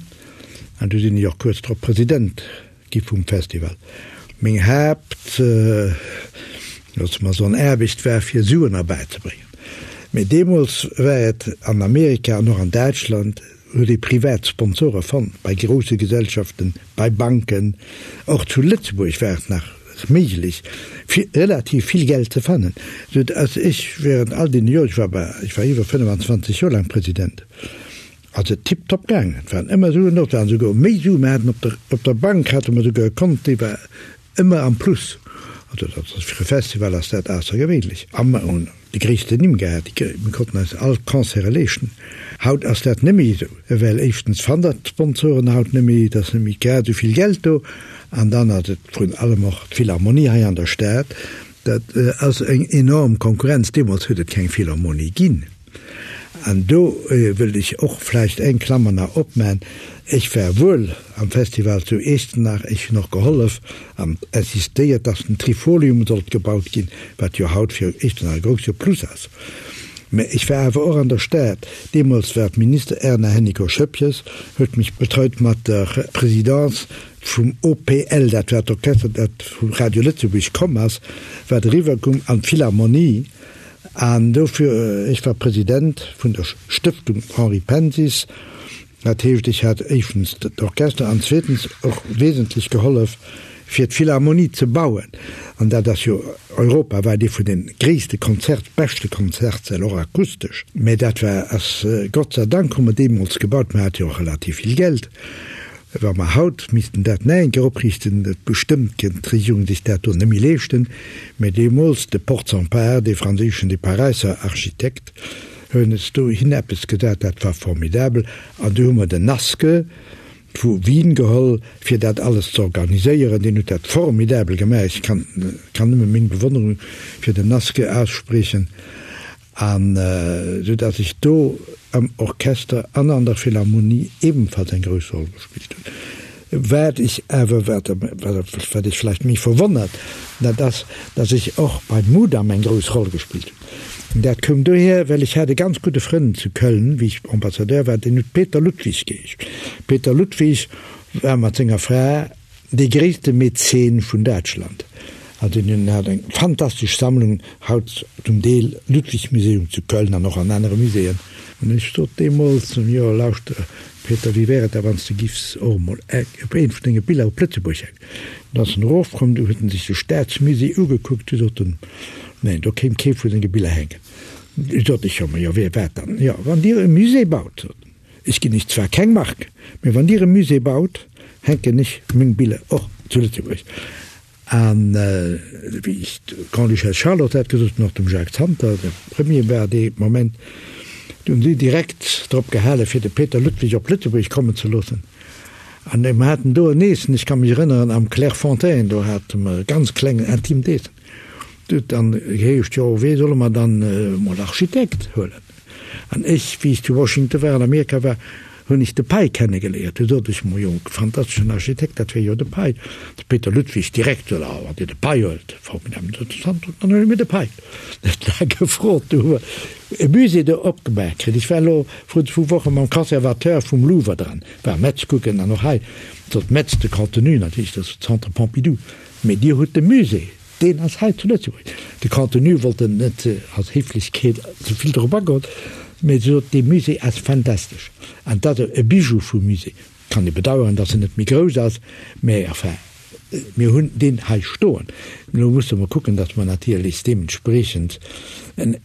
An du sinn ech och kuerz drop President gi vum Festival. Meng Haapt, loosse mer soen, Aarbecht war, fir Suen erbäizebréngen. Mee deemools war et an Amerika an och an Däitschland, huet ee privat Sponsore fonnt, bei grousse Gesellschaften, bei Banken. Och zu Lëtzebuerg war et nach méiglech, fir relativ vill Geld ze fannen, sou dass ech während all deene Joren, ech war bei, ech war iwwer 25 Joer laang President, ass et tiptop gaangen. Et waren ëmmer Suen do, et waren souguer méi Suen. Mir haten op der, op der Bank hate mer souguer e Kont, dee war Ëmmer am Plus. Also dat ass fir e Festival ass dat aussergewéinlech. A mer hunn déi gréissten Nimm gehat, déi mir konnten eis all d'Concerte leeschten. Haut ass dat net méi esou, well éischtens fannt der d'Sponsoren haut net méi, et ass net méi grad esou vill Geld do an dann ass et vrun allem och d'Philharmonie hei an der Stad, dat ass eng enorm Konkurrenz. Deemools huet et keng Philharmonie ginn. An do wëll ech och vläicht eng Klammer nach opmaen, Ech war wuel am Festival zu Echternach, ech hunn och gehollef an insistéiert, dass den Trifolium sollt gebaut ginn, wat jo haut fir Echternach e grousse Plus ass. Mä ech war awer och an der Stad. Deemools war d'Minister Erna Hennicot-Schoepges, huet mech betreut mat der Présidence vum OPL, dat war d'Orchester, dat vu Radio Lëtzebuerg komm ass, wat eriwwerkoum an d'Philharmonie. An dofir, ech war President vun der Stëftung Henri Pensis, dat heescht, ech hat éischtens d'Orchester an zweetens och wesentlech gehollef, fir d'Philharmonie ze bauen. An dat ass jo europawäit ee vun de gréisste Konzert, beschte Konzertsäll, och akustesch. Mä dat war, ass, Gott sei Dank hu mer deemools gebaut, mer hate jo och relativ vill Geld. Wa mer haut missten dat nach eng Kéier opriichten, bestëmmt kéint d'Regierung sech dat do net méi leeschten, mä deemools de Portzamparc, dee franséischen, dee Paräisser Architekt, huet es dohin eppes gesat, dat war formidabel. An du hu mer den Naske vu Wien geholl, fir dat alles ze organiséieren. Deen huet dat formidabel gemaach. Ech kann, kann nëmme meng Bewonnerung fir den Naske ausspriechen. An esou datt ech do am Orchester an an der Philharmonie ebenfalls eng grouss Roll gespillt hunn. Wat ech awer, wat wat Iech vläicht méi verwonnert, dat ass, datt ech och beim Mudam eng grouss Roll gespillt hunn. Dat koum dohier, well ech hat e ganz gudde Frënd zu Köln, wéi ech Ambassadeur war, deen huet Peter Ludwig geheescht. Peter Ludwig war mat senger Fra Dee gréisste Mäzen vun Däitschland. Also hien hat eng fantastesch Sammlung, haut zum Deel Ludwig-Museum zu Köln an och an anere Muséeën. An ech sot deemools zum Jo, lauschter Peter, wéi wär et da wann s de giffs och emol op eent vun denge Biller op Lëtzebuerg hänken? An da ass en erofkomm, du huet en sech de Staatsmusée ugekuckt, du sot en, neen, do kéim kee vu senge Biller hänken. Du sot ech, jo, ma jo, wéi wat dann? Jo, wann Dir e Musée baut, sot en. Ech ginn iech zwar keng Mark, mee wann Dir e Musée baut, hänken ech meng Biller och zu Lëtzebuerg. An wéi ech der Grande-Duchesse Charlotte dat gesot hunn, och dem Jacques Santer, de Premier war dee Moment, du hunn si direkt drop gehale fir de Peter Ludwig op Lëtzebuerg kommen ze loossen. An mir haten do en Eessen, ech ka mech erënneren, am Clairefontaine, do hate mer e ganz klengen intimt Eessen. Du huet dann geheescht, jo, wee solle mer dann emol Architekt huelen? An ech, wéi ech zu Washington war, an Amerika war, hunn ech de Pei kennegeléiert. Du sot ech, Mo jo, fantasteschen Architekt, dat wier jo de Pei. De Peter Ludwig direkt sot, Ah, wann Dir de Pei huelt, formidabel. Sot de Sandro, dann huele mir de Pei. Net laang gefrot, du hu mer e Musée do opgemaach kritt. Ech war elo vrun zwou Woche mam Conservateur vum Louvre dran, war Metz kucken an och hei, sot Metz, de Contenu natierlech, dat ass Centre Pompidou, mee Dir hutt de Musée. Deen ass hei zu Lëtzebuerg. De Contenu wollt en net aus Héiflechkeet ze vill drop agoen, mee se sot, dee Musée ass fantastesch an dat ass e Bijou vu Musée. Kann ee bedauern, datt en net méi grouss ass, mä enfin, mir hunn deen hei stoen. Elo musse mer kucken, datt mer natierlech deementspreechend en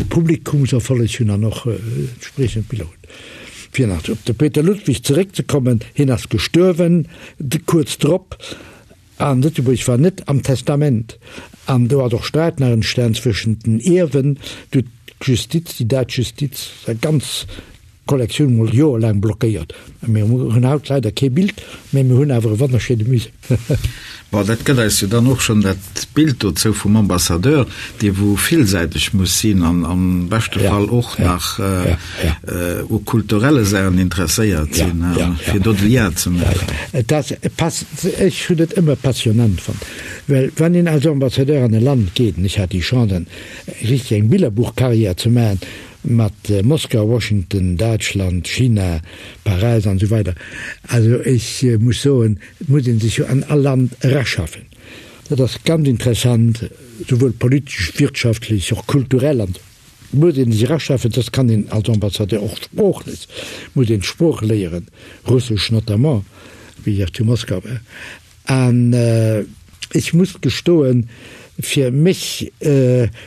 Publikumserfolleg hunn an och entspreechend Biller hunn. Fir nach op de Peter Ludwig zeréckzekommen, hien ass gestuerwen kuerz drop. An Lëtzebuerg war net am Testament. An do ass och Sträit nach entstan zwëschent den Ierwen. Du huet d'Justiz, déi däitsch Justiz, seng ganz Kollektioun mol joerlaang blockéiert. Mir hunn haut leider kee Bild, mä mir hunn awer e wonnerschéine Musée. Bon, dat gëtt eis jo dann och schonn dat Bild dozou vum Ambassadeur, dee wou villsäiteg muss sinn an am beschte Fall och nach u kulturelle Saachen interesséiert sinn, fir do de Lien ze maachen. Et ass, ech hunn et ëmmer passionnant fonnt, well wann een als Ambassadeur an e Land geet, an ech hat déi Chance, richteg eng Billerbuchcarrière ze maachen mat Moskau, Washington, Däitschland, China, Paräis an esou weider, also ech muss soen, Et muss ee sech jo an all Land eraschaffen. Dat ass ganz interessant, souwuel politesch, wirtschaftlech, och kulturell an esou muss ee sech eraschaffen. Dat kann een als Ambassadeur och sproochlech, muss een d'Sprooch léieren, Russesch notamment, wéi ech zu Moskau war. An ech muss gestoen, fir mech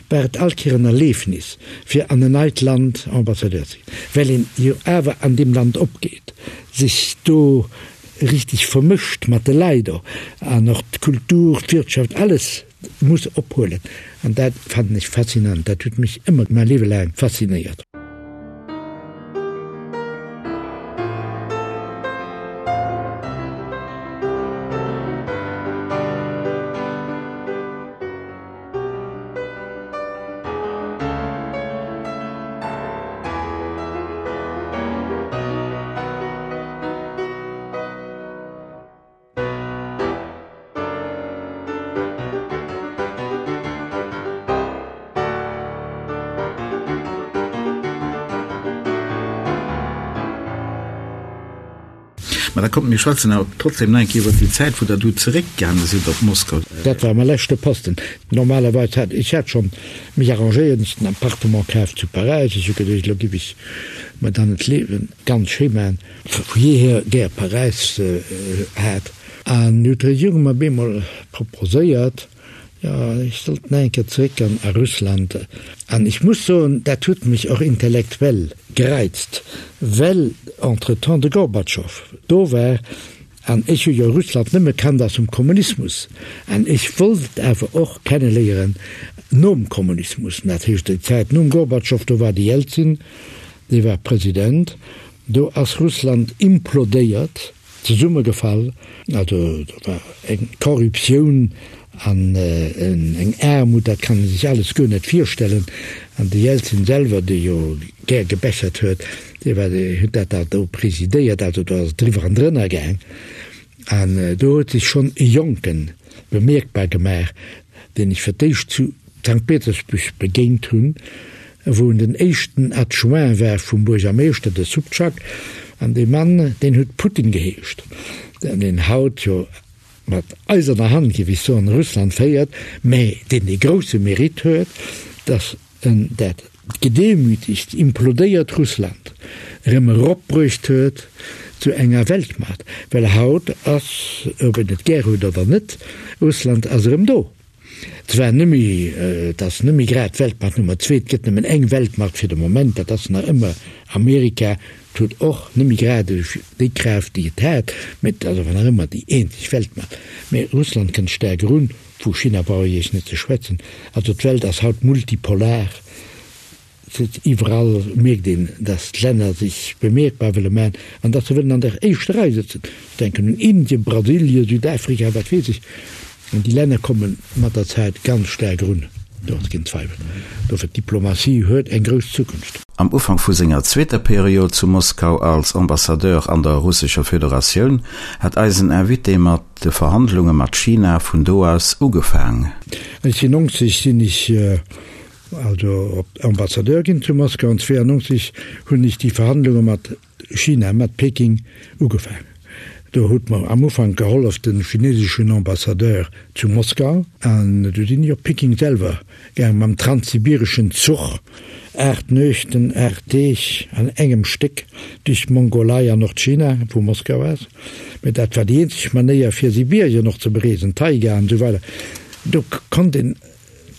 war et all Kéier en Erlefnis, fir an en neit Land Ambassadeur ze ginn, well een jo awer an deem Land opgeet, sech do richteg vermëscht mat de Leit och an och d'Kultur, d'Wirtschaft, alles muss ophuelen an dat fannen ech faszinant, dat huet mech ëmmer mäi Liewe laang faszinéiert. Da kommt, mir schwätzen awer trotzdem nach eng Kéier iwwer déi Zäit, wou Der du zeréckgaange sidd op Moskau. Dat war mäi leschte Posten. Normalerweis hat, ech hat schonn mech arrangéiert, ech hunn en Appartement kaf zu Paräis, ech hu geduecht, elo giff ech mer dann d'Liewen ganz schéi maachen, vu jeehier gär Paräis hat. An du huet d'Regierung mer bemol proposéiert, jo, ech sollt nach eng Kéier zeréck an a Russland. An ech muss soen, dat huet mech och intellektuell gereizt, well entretemps de Gorbatschow do war an ech hu jo Russland nëmme kannt aus dem Kommunismus an ech wollt et awer och kenneléieren nom Kommunismus. Dat heescht déi Zäit nom Gorbatschow, do war de Jelzin, dee war President, do ass Russland implodéiert. Zesummegefall, also do war eng Korruptioun an eng Aarmut, dat kann ee sech alles guer net virstellen. An de Jelzin selwer, dee jo gär gebechert huet, dee war, dee huet dat da do presidéiert, also do ass et driwwer an drënner gaang. An do huet sech schonn e Jonken bemierkbar gemaach, deen ech fir d'éischt zu Sankt Petersburg begéint hunn, wou en den éischten Adjoint war vum Buergermeeschter, de Subchak, an dee Mann, deen huet Putin geheescht, deen haut jo mat eiserner Hand, géif ech soen, Russland féiert, mä deen dee grousse Mérite huet, datt en dat gedemütigt, implodéiert Russland erëm eropbruecht huet zu enger Weltmacht, well haut ass, ob een et gär huet oder net, Russland ass erëm do. Zwar nëmme, et ass nëmme grad d'Weltmacht Nummer zwee, et gëtt nëmmen eng Weltmacht fir de Moment, dat ass nach ëmmer Amerika, et huet och nëmme grad déi Kraaft, déi et hat, mä et ass awer nach ëmmer déi eenzeg Weltmacht. Mä Russland kënnt staark erun, vu China brauch ech Iech net ze schwätzen. Also d'Welt ass haut multipolar. Iwwerall mierkt een, datt d'Länner sech bemierkbar wëlle maachen an datt se wëllen an der éischter Rei sëtzen. Ech denken un Indien, Brasilien, Südafrika, wat weess ech. An déi Länner komme mat der Zäit ganz staark erun, do ass keen Zweiwel. Dofir, d'Diplomatie huet eng grouss Zukunft. Am Ufank vu senger zweeter Period zu Moskau als Ambassadeur an der Russescher Föderatioun hat eisen Invité mat de Verhandlunge mat China vun do aus ugefaang. 1990 sinn ech Also op Ambassadeur ginn zu Moskau an 92 hunn ech déi Verhandlunge mat China, mat Peking ugefaangen. Do huet mer am Ufank gehollef de chineseschen Ambassadeur zu Moskau an du sinn ech op Peking selwer gaang mam transsibireschen Zuch, 8 Nuechten, 8 Deeg an engem Stéck duerch d'Mongolei an Nordchina vu Moskau aus. Mä dat war déi eenzeg Manéier fir Sibirien och ze bereesen, Taiga an esou weider. Do konnt een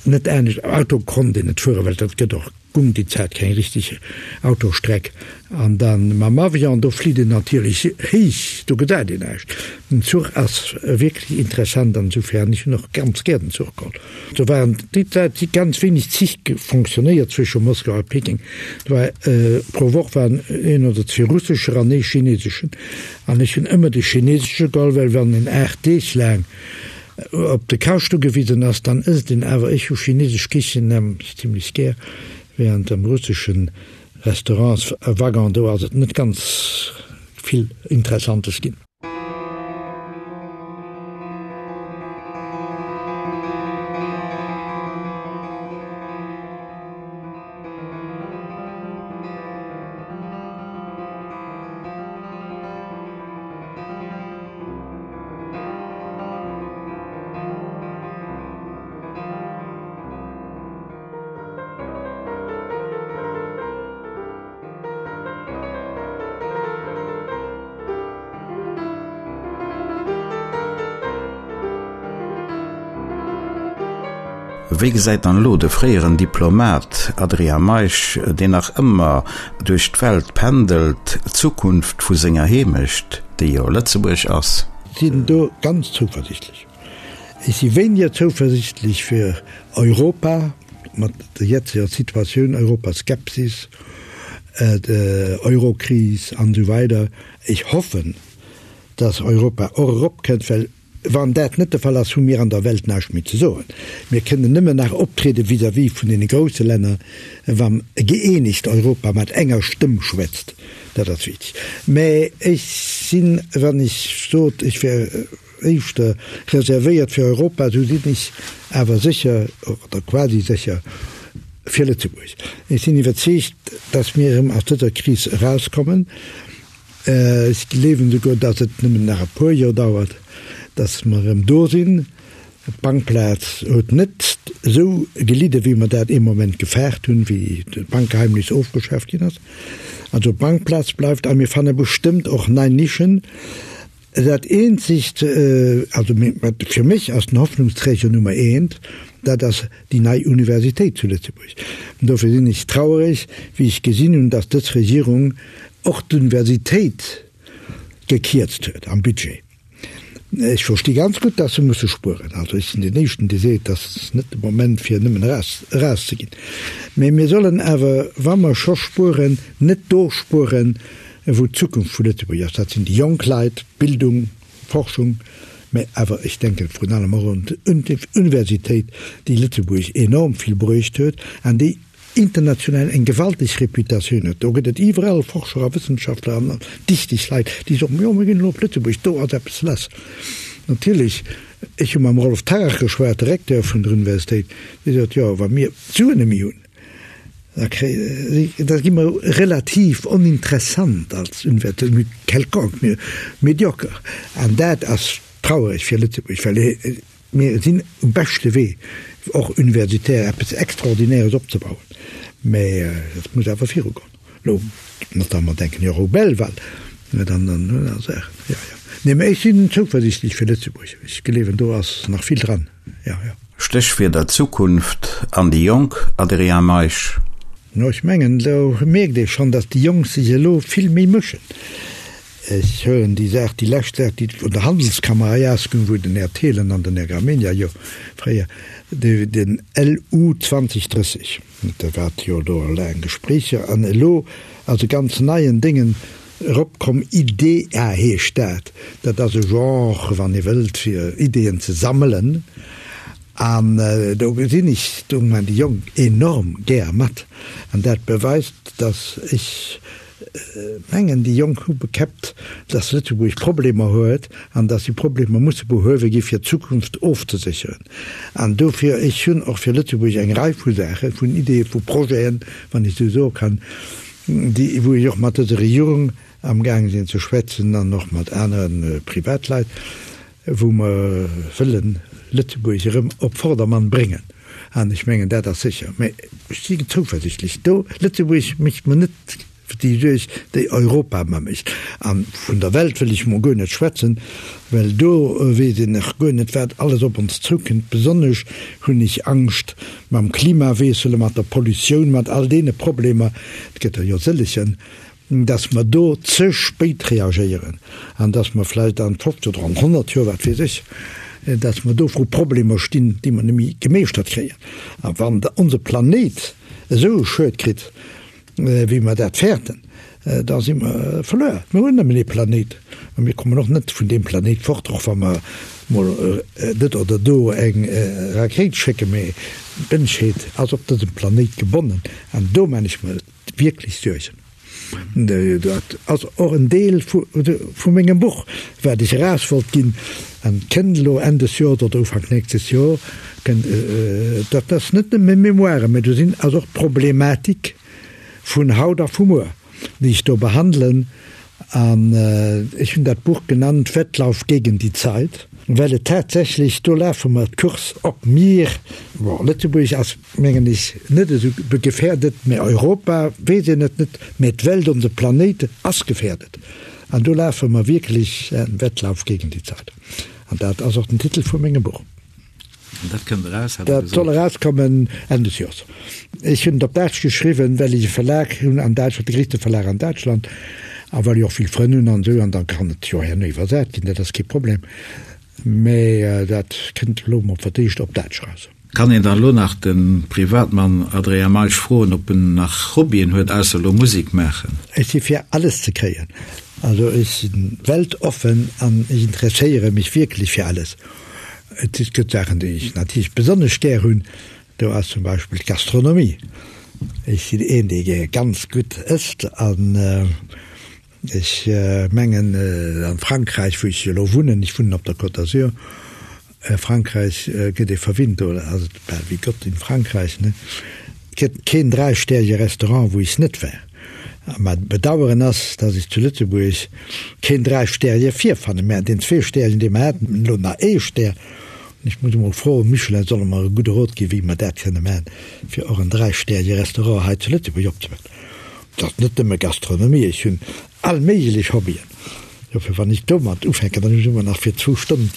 Net anescht, Auto konnt een net fueren, well dat gëtt och gung déi Zäit keng richteg Autostreck. An dann mam Avion, do flitt een natierlech héich, do gesäit een näischt. Den Zuch ass wierklech interessant an esouvill, an ech hunn och ganz gär den Zuch geholl. Do waren déi Zäit si ganz wéineg Zich fonctionnéiert zwësche Moskau a Peking. Do war pro Woch waren een oder zwee russescher an ee chineseschen. An ech hunn ëmmer de chinesesche geholl, well wann een 8 Deeg laang Op de Kascht ugewisen ass, dann ësst een awer. Ech hu chinesesch Kichen nämlech zimlech gär, während am russeschen Restaurantswaggon, do ass et net ganz vill Interessantes ginn. Wéi gesäit dann elo de fréieren Diplomat Adrien Meisch, deen nach ëmmer duerch d'Welt pendelt, d'Zukunft vu senger Heemecht, déi jo Lëtzebuerg ass? Sinn do ganz zouversichtlech. Ech si wéiniger zouversichtlech fir Europa mat der jetzeger Situatioun, Europaskepsis, Eurokris an esou weider. Ech hoffen, dass Europa och eropkënnt, well wann dat net de Fall ass, hu mir an der Welt näischt méi ze soen. Mir kënnen nëmmen nach optriede vis-à-vis vun deene grousse Länner, wann e gëeenegt Europa mat enger Stëmm schwätzt. Dat ass wichteg. Mä ech sinn, wann ech sot, ech wär éischter reservéiert fir Europa, esou sinn ech awer sécher, oder quasi sécher, fir Lëtzebuerg. Ech sinn iwwerzeegt, datt mir erëm aus dëser Kris erauskommen. Ech gleewen esouguer, datt et nëmmen nach e puer Joer dauert, datt mer erëm do sinn. D'Bankplaz huet net esou gelidde wéi mer dat ee Moment gefaart hunn, wéi d'Bankgeheimnis ofgeschaaft ginn ass. Also d'Bankplaz bleift a mir fanne bestëmmt och nei Nischen. Dat eenzegt, also fir mech ass den Hoffnungsträger Nummer eent, dat ass déi nei Universitéit zu Lëtzebuerg. An dofir sinn ech trauereg, wéi ech gesinn hunn, datt dës Regierung och d'Universitéit gekierzt huet am Budget. Ech versti ganz gutt, datt se musse spueren. Also ech sinn deen Éischten, dee seet, dat ass net de Moment fir nëmmen eraus, erauszeginn. Mä mir sollen awer, wa mer scho spueren, net do spueren, wou d'Zukunft vu Lëtzebuerg ass. Dat sinn déi jonk Leit, Bildung, Forschung, mä awer ech denken vrun allem och un d'Universitéit, déi Lëtzebuerg enorm vill bruecht huet an déi international eng gewalteg Reputatioun huet. Do gëtt et iwwerall Forscher a Wëssenschaftler an dichteg Leit, déi soen, jo mir ginn elo op Lëtzebuerg, do ass eppes lass. Natierlech, ech hu mam Rolf Tarrach geschwat, de Recteur vun der Universitéit, dee sot, jo wa mir d'Suen net méi hunn, da kréie, da gi mer relativ oninteressant als Universitéit, quelconque, mir médiocre. An dat ass trauereg fir Lëtzebuerg, well mir sinn um beschte Wee, och universitär eppes Extraordinäres opzebauen. Mä et muss awer virugoen. Elo, notamment denken ech och u Belval, mä dann an aner Saachen. Jo, jo. Nee, mä ech sinn zouversiichtlech fir Lëtzebuerg. Ech gleewen, do ass nach vill dran. Jo, jo. Stéchwierder Zukunft an déi Jonk, Adrien Meisch. No, ech mengen, do mierkt ee schonn, datt déi Jonk sech elo vill méi mëschen. Ech huelen déi Saach, déi lescht Saach, déi vun der Handelskammer hei ausgoung, wou den Här Thelen an den Här Gramegna jo fréier den LU 2030, dat wat jo do laang Gespréicher an elo ass e ganz neien Déngen eropkomm, IDEA heescht dat. Dat ass e Genre, wann ee wëllt, fir Ideeën ze sammelen. An do gesinn ech, do man déi Jonk enorm gär mat. An dat beweist, datt ech mengen, déi Jonk hu bekäppt, datt Lëtzebuerg Problemer huet an datt déi Problemer musse behuewe gi fir d'Zukunft ofzesécheren. An dofir, ech hunn och fir Lëtzebuerg eng Rei vu Saachen, vun Ideeë, vu Projeten, wann ech esou soe kann, déi, wou ech och mat dëser Regierung amgaang sinn ze schwätzen an och mat anere Privatleit, wou mer wëllen Lëtzebuerg erëm op Vordermann bréngen. An ech mengen, dat ass sécher. Mä ech si zouversichtlech do. Lëtzebuerg mécht mer net déi Suerg, déi Europa mer mécht. A vun der Welt wëll ech mol guer net schwätzen, well do weess een nach guer net, wat alles op ons zoukënnt. Besonnesch hunn ech Angscht mam Klimawiessel, mat der Pollutioun, mat all deene Problemer, et gëtt der jo sëllegen, dass mer do ze spéit reagéieren an dass mer vläicht an 50 oder an 100 Joer, wat weess ech, dass mer do vru Problemer stinn, déi mer net méi gemeeschtert kréien. A wann onse Planéit esou e Schued kritt, wéi mer dat fäerten, da si mer verluer. Mir hunn nëmmen ee Planéit a mir kommen och net vun deem Planéit fort, och wa mer mol net oder do eng Rakéit schécken, mee d'Mënschheet ass op dësem Planéit gebonnen an do maan ech mer wierklech Suergen. Dat ass och en Deel vu mengem Buch, wat ech eraus wollt ginn an kënnt elo Enn des Joers oder Ufank nächstes Joer. Dat ass net nëmme Mémoiren, mä do sinn ass och d'Problematik vun haut a vu muer, déi ech do behandelen. An ech hunn dat Buch genannt Wettlauf gegen die Zeit, well et tatsächlech, do lafe mer d'Course op mir, bon, Lëtzebuerg ass, mengen ech, net esou gefährdet, mä Europa, weess een et net, mä d'Welt, onse Planéit ass gefährdet. An do lafe mer wierklech en Wettlauf gegen die Zeit. An dat ass och den Titel vu mengem Buch. An dat kënnt eraus, hat Der Dat soll gesot. erauskommen Enn des Joers. Ech hunn et op Däitsch geschriwwen, well ech e Verlag hunn an Däitschland, de gréisste Verlag an Däitschland, a well ech och vill Frënn hunn an esou, an da kann et jo herno iwwersat ginn, dat ass kee Problem. Mä dat kënnt elo mol fir d'éischt op Däitsch eraus. Kann een dann elo nach de Privatmann Adrien Meisch froen, ob en nach Hobbyen huet, ausser elo Musek maachen? Ech si fir alles ze kréien. Also ech si weltoffen an ech interesséiere mech wierklech fir alles. Et gëtt Saachen, déi ech natierlech besonnesch gär hunn. Do ass zum Beispill d'Gastronomie. Ech sinn een, dee gär ganz gutt ësst an ech mengen a Frankräich, wou ech elo wunnen, ech wunnen op der Côte d'Azur, a Frankräich gëtt ee verwinnt, do ass et bal wéi Gott in Frankreich, ne? Et gëtt keen dräistäerege Restaurant, wou ech net war. A mäi Bedaueren ass, dass ech zu Lëtzebuerg keen Dräistäerje virfannen, mä deen Zweestäerjen, dee mer haten, elo nach ee Stär. An ech muss emol froen, Michelin solle mer e gudde Rot ginn, wéi mer dat kënne maachen, fir och en Dräistäerje Restaurant hei zu Lëtzebuerg opzemaachen. Et ass net nëmme Gastronomie, ech hunn all méiglech Hobbyen. Dofir, wann ech domat ufänken, dann hunn ech ëmmer nach fir zwou Stonnen.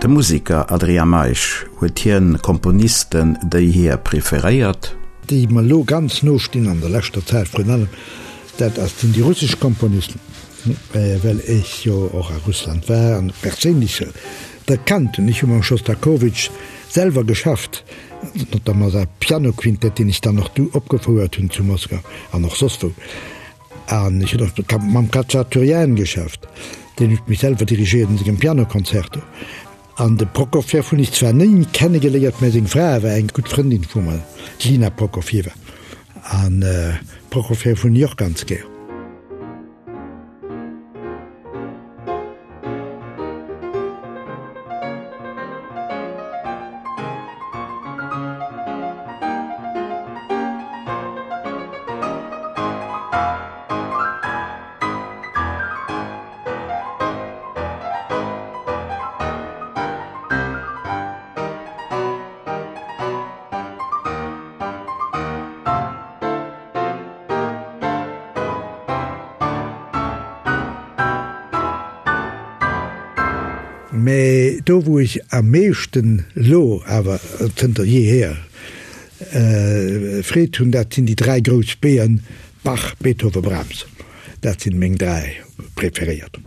De Museker Adrien Meisch, huet hien Komponisten, déi hie preferéiert? Déi mer elo ganz no stinn an der leschter Zäit vrun allem, dat ass sinn déi russesch Komponisten. Well ech jo och a Russland war an perséinlech erkannt hunn, ech hu mam Schostakowitsch selwer geschafft, notamment säi Pianoquintett, deen ech dann och du opgefouert hunn zu Moskau an och soss wou. An ech hunn och mam Khatschaturian geschafft, deen huet mech selwer dirigéiert an sengem Pianoconcerto. An de Prokofjew hunn ech zwar ni kennegeléiert, mä seng Fra war eng gutt Frëndin vu mer, d'Lina Prokofjewa. An Prokofjew hunn ech och ganz gär. Mä do wou ech am meeschten elo awer zënter jeehier Freed hunn, dat sinn déi 3 grouss B'en, Bach, Beethoven, Brahms. Dat sinn meng 3 preferéiert.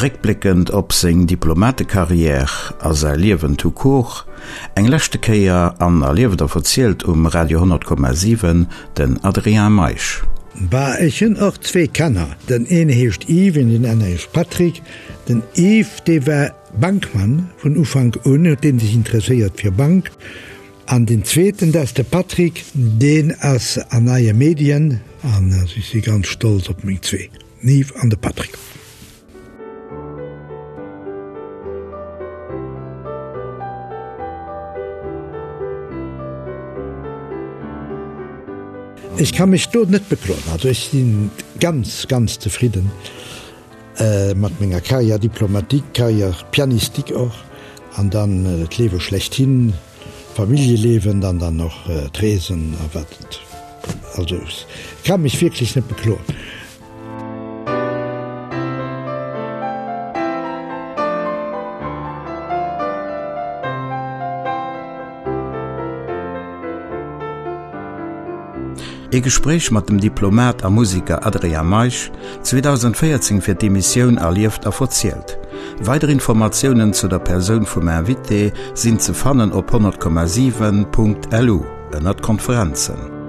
Réckbléckend op seng Diplomatekarriär a säi Liewen tout court, eng leschte Kéier an Erlieft a Verzielt um Radio 100,7 den Adrien Meisch. Bah, ech hunn och zwee Kanner. Den een heescht Yves an den anere heescht Patrick. Den Yves, dee war Bankmann vun Ufank un, huet dee sech interesséiert fir Bank. An deen zweeten, dat ass de Patrick, deen ass an neie Medien. An ech si ganz stolz op meng zwee, den Yves an de Patrick. Ech ka mech do net bekloen. Also ech si ganz, ganz zefridden mat menger Carrière diplomatique, Carrière pianistique och, an dann d'Liewe schlechthin, Familljeliewen, an dann och d'Reesen a wat et. Also ech ka mech wierklech net bekloen. Ee Gespréich mat dem Diplomat a Musiker Adrien Meisch, 2014 fir d'Emissioun Erlieft a verzielt. Weider Informatiounen zu der Persoun vum Invité sinn ze fannen op 100,7.lu ënnert Konferenzen.